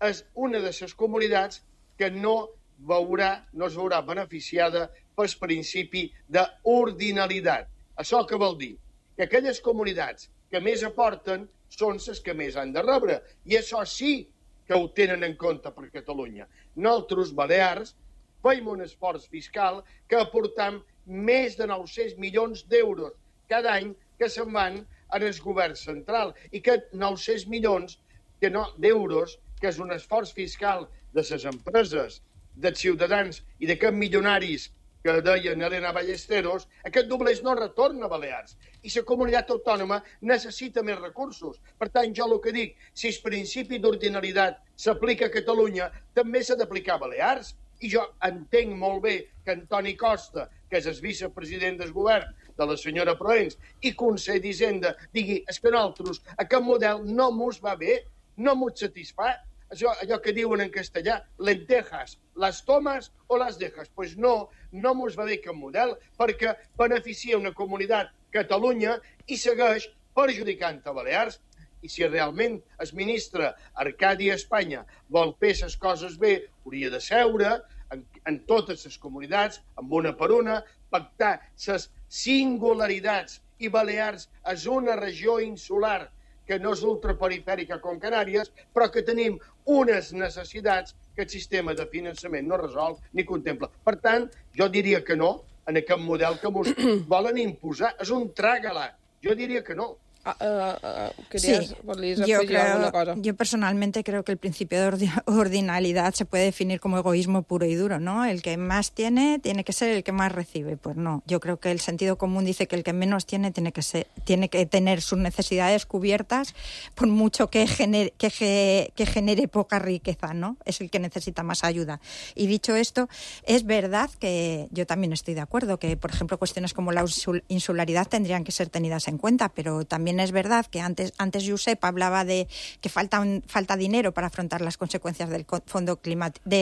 és una de les comunitats que no es veurà beneficiada pel principi d'ordinalitat. Això què vol dir? Que aquelles comunitats que més aporten són les que més han de rebre. I això sí que ho tenen en compte per Catalunya. Nosaltres, Balears, fem un esforç fiscal que aportam més de 900 milions d'euros cada any que se'n van en el govern central. I que 900 milions d'euros, que és un esforç fiscal de les empreses, dels ciutadans i d'aquests milionaris que deien Elena Ballesteros, aquest doblers no retorna a Balears. I la comunitat autònoma necessita més recursos. Per tant, jo el que dic, si el principi d'ordinalitat s'aplica a Catalunya, també s'ha d'aplicar a Balears. I jo entenc molt bé que Antoni Costa, que és el vicepresident del govern de la senyora Proens i conseller d'Hisenda, digui: és que nosaltres, aquest model no mos va bé, no mos satisfà. Allò que diuen en castellà, lentejas, las tomas o las dejas. Pues no mos va bé aquest model, perquè beneficia una comunitat, Catalunya, i segueix perjudicant a Balears. I si realment el ministre Arcadi Espanya vol fer les coses bé, hauria de seure en totes les comunitats, amb una per una, pactar les singularitats. I Balears és una regió insular que no és ultraperifèrica com Canàries, però que tenim unes necessitats que el sistema de finançament no resol ni contempla. Per tant, jo diria que no en aquest model que ens volen imposar. És un trágala. Jo diria que no. Yo personalmente creo que el principio de ordinalidad se puede definir como egoísmo puro y duro, ¿no? El que más tiene que ser el que más recibe. Pues no, yo creo que el sentido común dice que el que menos tiene tiene que tener sus necesidades cubiertas, por mucho que genere poca riqueza, ¿no? Es el que necesita más ayuda. Y dicho esto, es verdad que yo también estoy de acuerdo que, por ejemplo, cuestiones como la insularidad tendrían que ser tenidas en cuenta, pero también es verdad que antes Josep hablaba de que falta dinero para afrontar las consecuencias del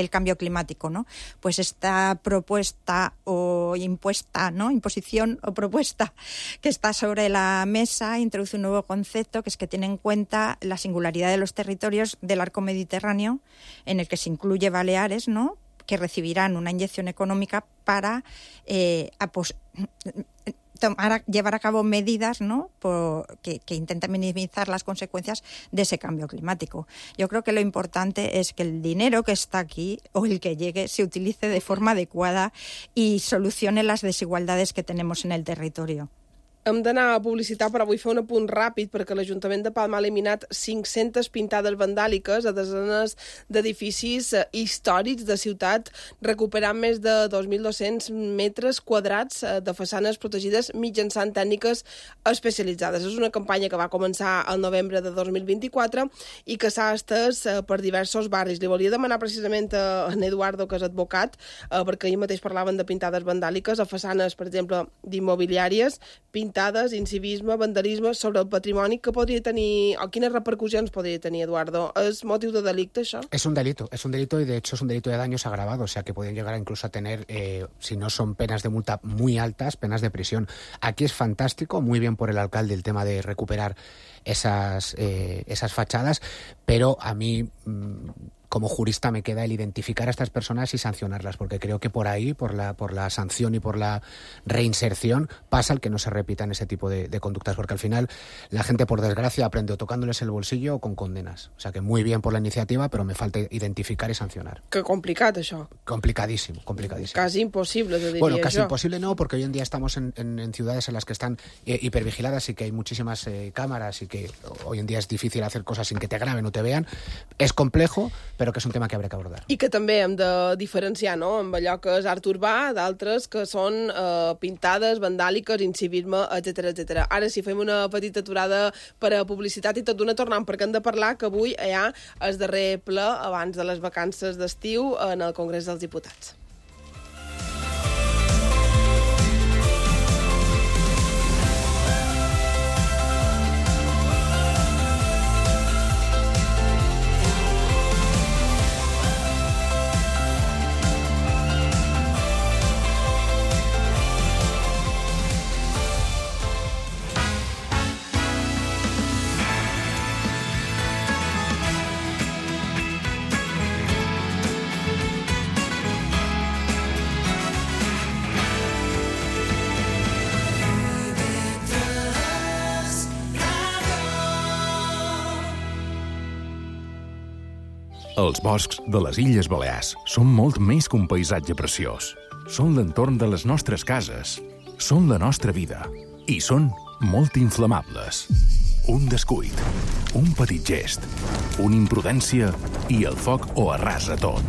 cambio climático, ¿no? Pues esta propuesta o impuesta, ¿no? Imposición o propuesta que está sobre la mesa introduce un nuevo concepto, que es que tiene en cuenta la singularidad de los territorios del arco mediterráneo, en el que se incluye Baleares, ¿no?, que recibirán una inyección económica para llevar a cabo medidas, ¿no?, que intenten minimizar las consecuencias de ese cambio climático. Yo creo que lo importante es que el dinero que está aquí o el que llegue se utilice de forma adecuada y solucione las desigualdades que tenemos en el territorio. Hem d'anar a publicitar, però vull fer un apunt ràpid perquè l'Ajuntament de Palma ha eliminat 500 pintades vandàliques a desenes d'edificis històrics de ciutat, recuperant més de 2.200 metres quadrats de façanes protegides mitjançant tècniques especialitzades. És una campanya que va començar al novembre de 2024 i que s'ha estès per diversos barris. Li volia demanar precisament a en Eduardo, que és advocat, perquè ahir mateix parlaven de pintades vandàliques a façanes, per exemple, d'immobiliàries, pintades pintades, incivisme, vandalisme sobre el patrimoni, que podria tenir, o quines repercussions podria tenir, Eduardo? És motiu de delicte, això? Es un delito y de hecho es un delito de daños agravado, o sea que pueden llegar incluso a tener, si no son penas de multa muy altas, penas de prisión. Aquí es fantástico, muy bien por el alcalde el tema de recuperar esas fachadas, pero a mí como jurista me queda el identificar a estas personas y sancionarlas, porque creo que por ahí, por la sanción y por la reinserción, pasa el que no se repitan ese tipo de conductas, porque al final la gente, por desgracia, aprende o tocándoles el bolsillo o con condenas. O sea que muy bien por la iniciativa, pero me falta identificar y sancionar. Que complicat, això. Complicadísimo. Casi imposible, te diría. Bueno, casi imposible no, porque hoy en día estamos en ciudades en las que están hipervigiladas y que hay muchísimas cámaras y que hoy en día es difícil hacer cosas sin que te graben o te vean. Es complejo, però que és un tema que haurà que abordar. I que també hem de diferenciar, no?, amb allò que és art urbà, d'altres que són pintades, vandàliques, incivisme, etc. Ara sí, fem una petita aturada per a publicitat i tot d'una tornant, perquè hem de parlar que avui hi ha el darrer ple abans de les vacances d'estiu en el Congrés dels Diputats. Els boscs de les Illes Balears són molt més que un paisatge preciós. Són l'entorn de les nostres cases, són la nostra vida i són molt inflamables. Un descuit, un petit gest, una imprudència i el foc ho arrasa tot.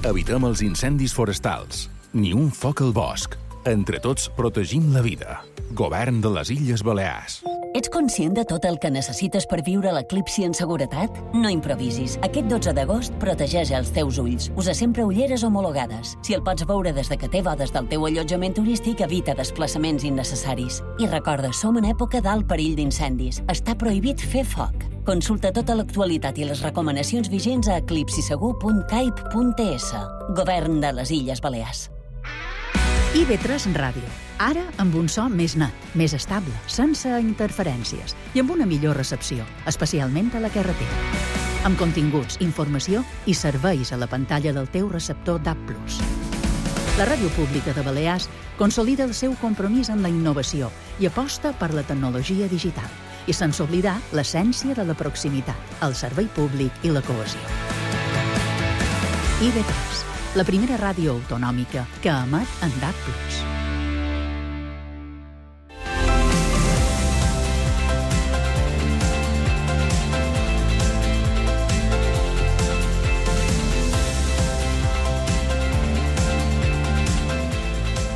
Evitem els incendis forestals, ni un foc al bosc. Entre tots protegim la vida. Govern de les Illes Balears. Ets conscient de tot el que necessites per viure l'eclipsi en seguretat? No improvisis. Aquest 12 d'agost protegeix els teus ulls. Usa sempre ulleres homologades. Si el pots veure des de que té bodes del teu allotjament turístic, evita desplaçaments innecessaris. I recorda, som en època d'alt perill d'incendis. Està prohibit fer foc. Consulta tota l'actualitat i les recomanacions vigents a eclipsisegur.caip.es. Govern de les Illes Balears. IB3 Ràdio. Ara amb un so més net, més estable, sense interferències i amb una millor recepció, especialment a la carretera. Amb continguts, informació i serveis a la pantalla del teu receptor DAB+. La Ràdio Pública de Balears consolida el seu compromís amb la innovació i aposta per la tecnologia digital i sense oblidar l'essència de la proximitat, el servei públic i la cohesió. IB3, la primera ràdio autonòmica que emet en DAB+.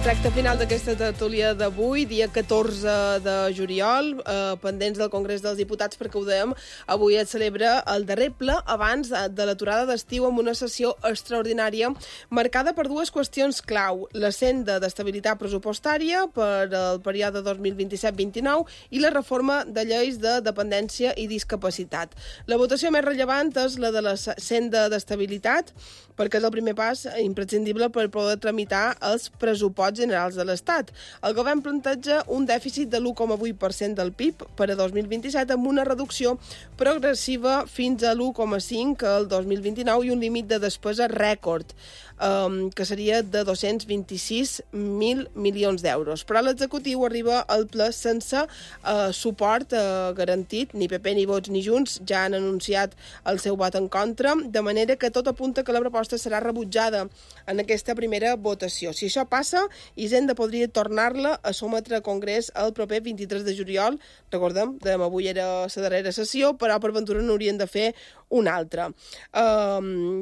Tracte final d'aquesta tertúlia d'avui, dia 14 de juliol, pendents del Congrés dels Diputats, perquè ho dèiem, avui es celebra el darrer ple abans de l'aturada d'estiu amb una sessió extraordinària marcada per dues qüestions clau, la senda d'estabilitat pressupostària per al període 2027-29 i la reforma de lleis de dependència i discapacitat. La votació més rellevant és la de la senda d'estabilitat, perquè és el primer pas imprescindible per poder tramitar els pressupostos generals de l'Estat. El govern planteja un dèficit de l'1,8% del PIB per a 2027 amb una reducció progressiva fins a l'1,5% el 2029 i un límit de despesa rècord, que seria de 226.000 milions d'euros. Però l'executiu arriba al ple sense suport garantit, ni PP, ni Vots, ni Junts ja han anunciat el seu vot en contra, de manera que tot apunta que la proposta serà rebutjada en aquesta primera votació. Si això passa, Hisenda podria tornar-la a sometre al Congrés el proper 23 de juliol. Recordem, avui era la darrera sessió, però per ventura n'haurien de fer una altra.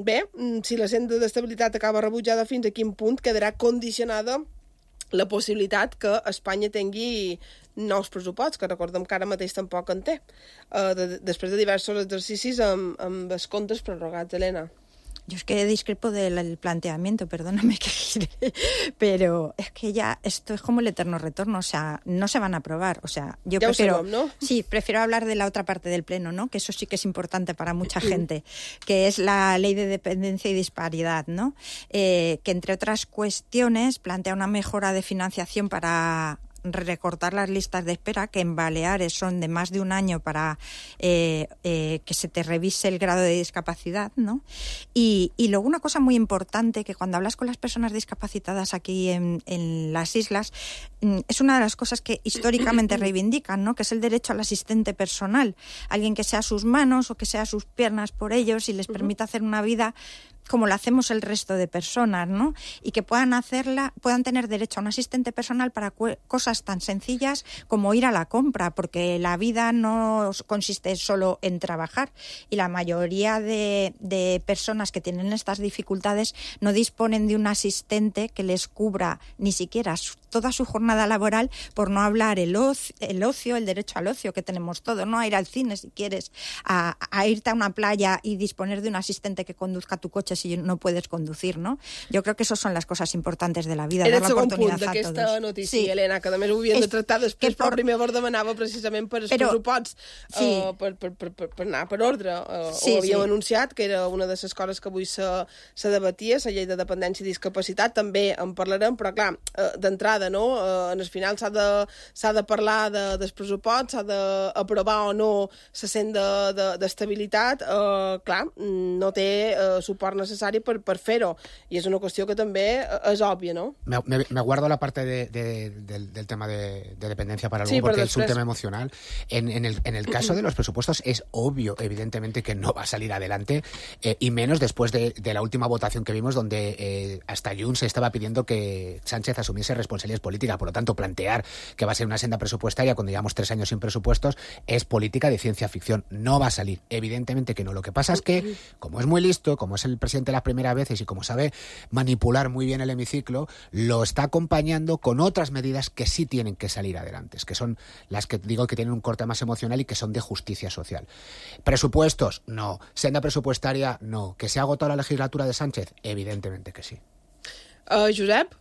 Bé, si la senda d'estabilitat acaba rebutjada, fins a quin punt quedarà condicionada la possibilitat que Espanya tingui nous pressupostos, que recordem que ara mateix tampoc en té, després de diversos exercicis amb els comptes prorrogats, Helena. Yo es que discrepo del planteamiento, perdóname que gire, pero es que ya esto es como el eterno retorno, o sea, no se van a aprobar, o sea, yo ya prefiero... sabem, ¿no? Sí, prefiero hablar de la otra parte del Pleno, ¿no? Que eso sí que es importante para mucha gente, que es la ley de dependencia y disparidad, ¿no? Que entre otras cuestiones plantea una mejora de financiación para recortar las listas de espera, que en Baleares son de más de un año para que se te revise el grado de discapacidad, ¿no? Y luego una cosa muy importante, que cuando hablas con las personas discapacitadas aquí en las islas, es una de las cosas que históricamente reivindican, ¿no? Que es el derecho al asistente personal, alguien que sea sus manos o que sea sus piernas por ellos y les permita hacer una vida como lo hacemos el resto de personas, ¿no? Y que puedan tener derecho a un asistente personal para cosas tan sencillas como ir a la compra, porque la vida no consiste solo en trabajar y la mayoría de personas que tienen estas dificultades no disponen de un asistente que les cubra ni siquiera toda su jornada laboral, por no hablar el ocio, el derecho al ocio que tenemos todos, ¿no? A ir al cine si quieres, a irte a una playa y disponer de un asistente que conduzca tu coche si no puedes conducir, ¿no? Jo crec que això són les coses importantes de la vida, dar l'oportunitat a tots. Era el segon punt d'aquesta notícia, sí. Helena, que també ho havíem de tractar després, però primer vos demanava precisament per els pressuposts, per anar per ordre. Ho havíem anunciat, que era una de les coses que avui se debatia, la llei de dependència i discapacitat, també en parlarem, però clar, d'entrada, no? En el final s'ha de parlar dels pressuposts, s'ha d'aprovar o no la senda d'estabilitat, clar, no té suport necessari per fer-ho, i és una qüestió que també és òbvia, ¿no? Me guardo la parte del tema de dependencia para luego, porque es un tema emocional. En el caso de los presupuestos es obvio, evidentemente, que no va a salir adelante, y menos después de la última votación que vimos, donde hasta Junts se estaba pidiendo que Sánchez asumiese responsabilidades políticas. Por lo tanto, plantear que va a ser una senda presupuestaria cuando llevamos 3 años sin presupuestos es política de ciencia ficción. No va a salir, evidentemente que no. Lo que pasa es que, como es muy listo, como es el presidente las primeras veces y como sabe manipular muy bien el hemiciclo, lo está acompañando con otras medidas que sí tienen que salir adelante, que son las que digo que tienen un corte más emocional y que son de justicia social. Presupuestos, no. Senda presupuestaria, no. ¿Que se ha agotado la legislatura de Sánchez? Evidentemente que sí. Josep?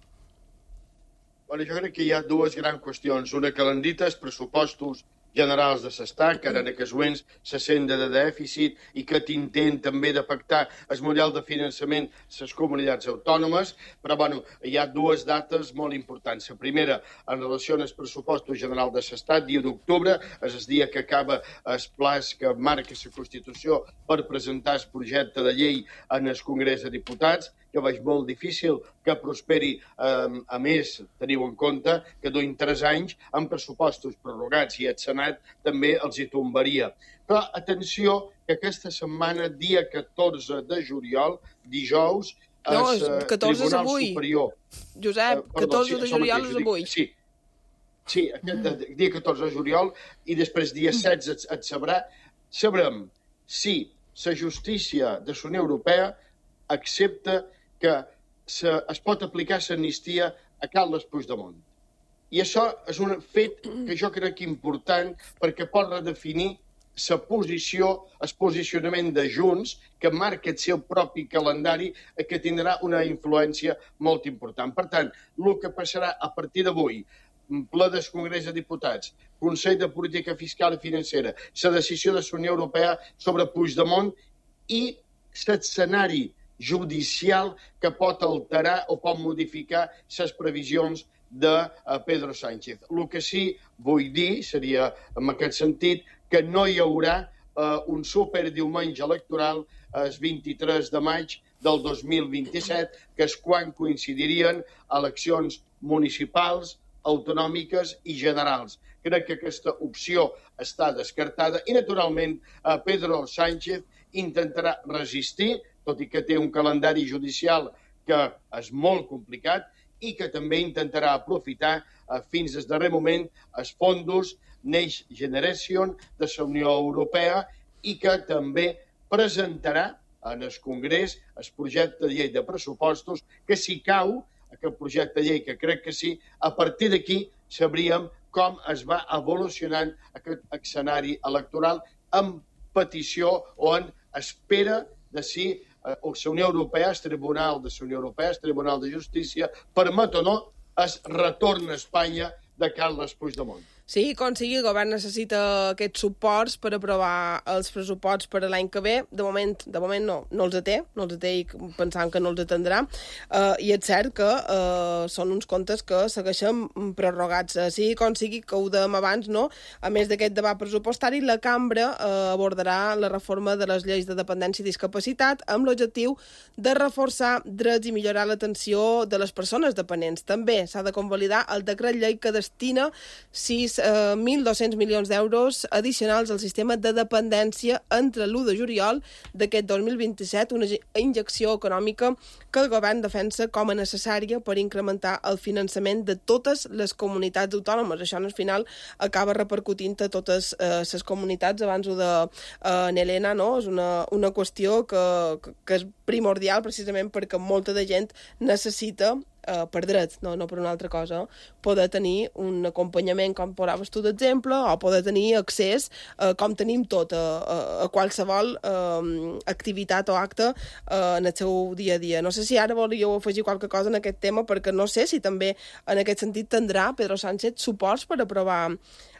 Bueno, jo crec que hi ha dues grans qüestions. Una que l'han dit, els pressupostos generals de l'Estat, que ara en aquests moments se senda de dèficit i que t'intent també de pactar el model de finançament les comunitats autònomes, però bueno, hi ha dues dates molt importants. La primera, en relació als pressupostos generals de l'Estat, dia d'octubre, és el dia que acaba el plaç que marca la Constitució per presentar el projecte de llei en el Congrés de Diputats. Jo veig molt difícil que prosperi. A més, teniu en compte que duim 3 anys amb pressupostos prorrogats i el Senat també els hi tombaria. Però atenció, que aquesta setmana, dia 14 de juliol, dijous, el Tribunal Superior... Josep, 14 de juliol és avui. Sí, aquest dia 14 de juliol, i després dia 16 sabrem si la justícia de la Unió Europea accepta que es pot aplicar l'amnistia a Carles Puigdemont. I això és un fet que jo crec important perquè pot redefinir la posició, el posicionament de Junts, que marca el seu propi calendari, que tindrà una influència molt important. Per tant, el que passarà a partir d'avui, ple del Congrés de Diputats, Consell de Política Fiscal i Financera, la decisió de la Unió Europea sobre Puigdemont i l'escenari judicial que pot alterar o pot modificar les previsions de Pedro Sánchez. El que sí vull dir seria, en aquest sentit, que no hi haurà un superdiumenge electoral el 23 de maig del 2027, que és quan coincidirien eleccions municipals, autonòmiques i generals. Crec que aquesta opció està descartada i, naturalment, Pedro Sánchez intentarà resistir, tot i que té un calendari judicial que és molt complicat i que també intentarà aprofitar fins al darrer moment els fons Next Generation de la Unió Europea i que també presentarà en el Congrés el projecte de llei de pressupostos, que si cau aquest projecte de llei, que crec que sí, a partir d'aquí sabríem com es va evolucionant aquest escenari electoral en petició o en espera de si la Unió Europea, el Tribunal de la Unió Europea, el Tribunal de Justícia, permet o no el retorn a Espanya de Carles Puigdemont. Sí, com sigui, el govern necessita aquests suports per aprovar els pressuposts per a l'any que ve. De moment no els té i pensant que no els atendrà. I és cert que són uns comptes que segueixen prorrogats. Sí, com sigui, que ho dèiem abans, no? A més d'aquest debat pressupostari, la cambra abordarà la reforma de les lleis de dependència i discapacitat amb l'objectiu de reforçar drets i millorar l'atenció de les persones dependents. També s'ha de convalidar el decret llei que destina 1.200 milions d'euros addicionals al sistema de dependència entre l'1 de juliol d'aquest 2027, una injecció econòmica que el govern defensa com a necessària per incrementar el finançament de totes les comunitats autònomes. Això, al final, acaba repercutint a totes les comunitats. Abans ho de Helena, no? És una qüestió que és primordial precisament perquè molta de gent necessita per dret, no per una altra cosa, poder tenir un acompanyament, com posaves tu d'exemple, o poder tenir accés, com tenim tot, a qualsevol activitat o acte en el seu dia a dia. No sé si ara volíeu afegir qualque cosa en aquest tema, perquè no sé si també en aquest sentit tindrà Pedro Sánchez suports per aprovar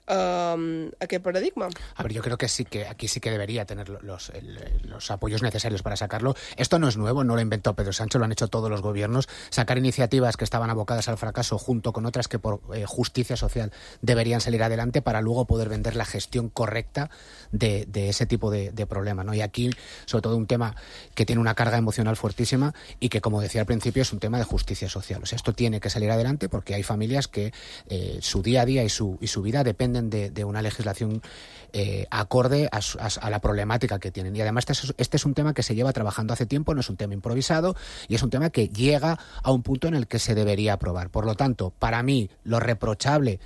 aquest paradigma. A ver, yo creo que sí, que aquí sí que debería tener los apoyos necesarios para sacarlo. Esto no es nuevo, no lo inventó Pedro Sánchez, lo han hecho todos los gobiernos. Sacar iniciativas que estaban abocadas al fracaso junto con otras que por justicia social deberían salir adelante para luego poder vender la gestión correcta de ese tipo de problema, ¿no? Y aquí, sobre todo, un tema que tiene una carga emocional fuertísima y que, como decía al principio, es un tema de justicia social. O sea, esto tiene que salir adelante porque hay familias que su día a día y su vida dependen de una legislación acorde a la problemática que tienen. Y además este es un tema que se lleva trabajando hace tiempo, no es un tema improvisado y es un tema que llega a un punto en el que se debería aprobar. Por lo tanto, para mí, lo reprochable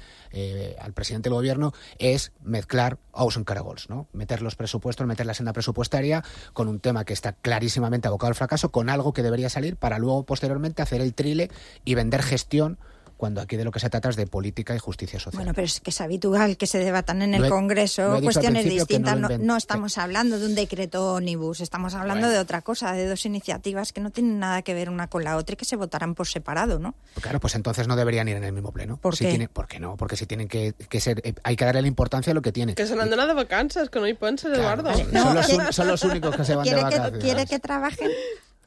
al presidente del gobierno es mezclar ous en caragols, ¿no? Meter los presupuestos, meter la senda presupuestaria con un tema que está clarísimamente abocado al fracaso, con algo que debería salir para luego posteriormente hacer el trile y vender gestión, cuando aquí de lo que se trata es de política y justicia social. Bueno, pero es que es habitual que se debatan en el Congreso cuestiones distintas. No estamos hablando de un decreto ómnibus, estamos hablando de otra cosa, de dos iniciativas que no tienen nada que ver una con la otra y que se votarán por separado, ¿no? Claro, pues entonces no deberían ir en el mismo pleno. ¿Por qué? ¿Por qué no? Porque si tienen que ser... Hay que darle la importancia a lo que tiene. Que se n'han d'anar de vacances, que no hi penses, Eduardo. Son los únicos que se van de vacaciones. Quiere que trabajen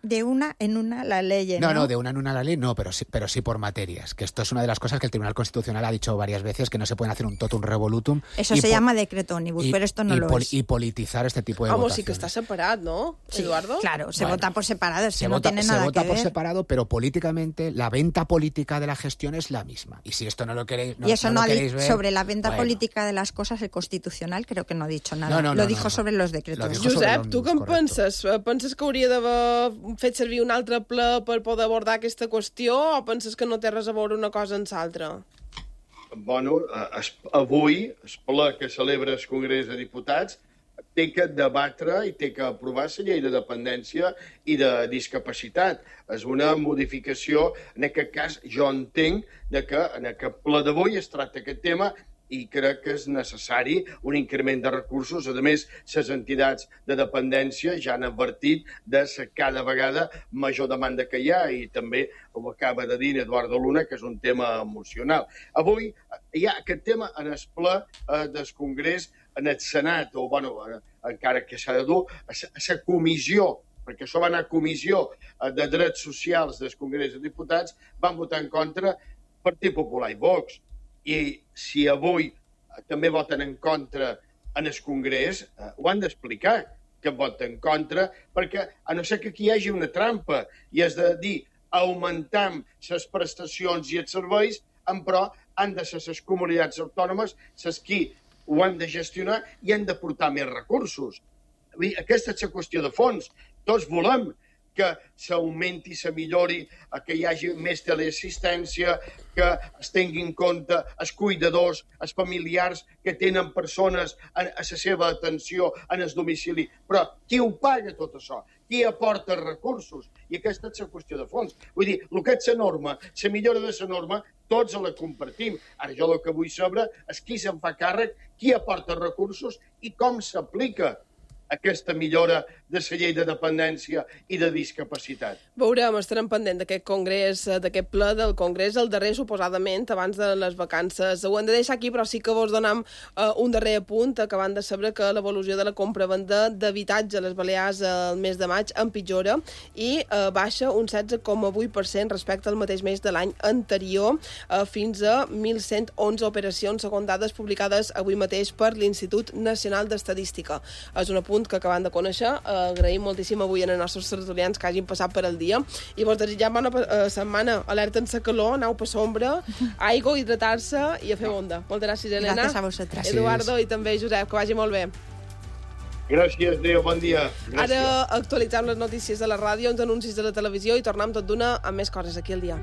de una en una la ley, ¿no? No, de una en una la ley no, pero sí por materias. Que esto es una de las cosas que el Tribunal Constitucional ha dicho varias veces, que no se pueden hacer un totum revolutum. Eso se llama decreto ómnibus, pero esto no lo es. Y politizar este tipo de votaciones. Sí que está separat, ¿no, Eduardo? Sí, claro, se vota por separado, es que no tiene nada que ver. Se vota por separado, pero políticamente la venta política de la gestión es la misma. Y si esto no lo queréis ver... Y eso no ha dicho sobre la venta política de las cosas, el Constitucional creo que no ha dicho nada. Lo dijo sobre los decretos. Josep, tu què en penses? Penses que hauria d'haver fet servir un altre ple per poder abordar aquesta qüestió o penses que no té res a veure una cosa amb l'altra? Bueno, avui, el ple que celebra el Congrés de Diputats té que debatre i té que aprovar la llei de dependència i de discapacitat. És una modificació, en aquest cas, jo entenc que en aquest ple d'avui es tracta aquest tema i crec que és necessari un increment de recursos. A més, les entitats de dependència ja han advertit de la cada vegada major demanda que hi ha i també ho acaba de dir Eduardo Luna, que és un tema emocional. Avui hi ha aquest tema en el ple del Congrés, en el Senat, o encara que s'ha de dur, a la comissió, perquè això va anar a comissió de drets socials del Congrés de Diputats, van votar en contra Partit Popular i Vox. I si avui també voten en contra en el Congrés, ho han d'explicar, que voten en contra, perquè a no ser que aquí hi hagi una trampa, i és de dir, augmentam les prestacions i els serveis, però han de ser les comunitats autònomes les qui ho han de gestionar i han de portar més recursos. Aquesta és la qüestió de fons. Tots volem que s'augmenti, se millori, que hi hagi més teleassistència, que es tingui en compte els cuidadors, els familiars que tenen persones a la seva atenció en el domicili. Però qui ho paga tot això? Qui aporta recursos? I aquesta és la qüestió de fons. Vull dir, el que és la norma, la millora de la norma, tots la compartim. Ara jo el que vull saber és qui se'n fa càrrec, qui aporta recursos i com s'aplica. aquesta millora de la llei de dependència i de discapacitat. Veurem, estarem pendent d'aquest congrés, d'aquest ple del congrés, el darrer suposadament abans de les vacances. Ho hem de deixar aquí, però sí que vos donam un darrer apunt, acabant de saber que l'evolució de la compra-venda d'habitatge a les Balears el mes de maig empitjora i baixa un 16,8% respecte al mateix mes de l'any anterior, fins a 1.111 operacions, segons dades publicades avui mateix per l'Institut Nacional d'Estadística. És un apunt que acabem de conèixer. Agraïm moltíssim avui als nostres tertulians que hagin passat per el dia i vos desitgem bona setmana. Alerten-se calor, aneu per sombra, aigua, hidratar-se i a fer onda. Moltes gràcies, Elena. Gràcies a vosaltres. Eduardo i també Josep, que vagi molt bé. Gràcies, adéu, bon dia. Gràcies. Ara actualitzem les notícies de la ràdio, uns anuncis de la televisió i tornem tot d'una amb més coses aquí al dia.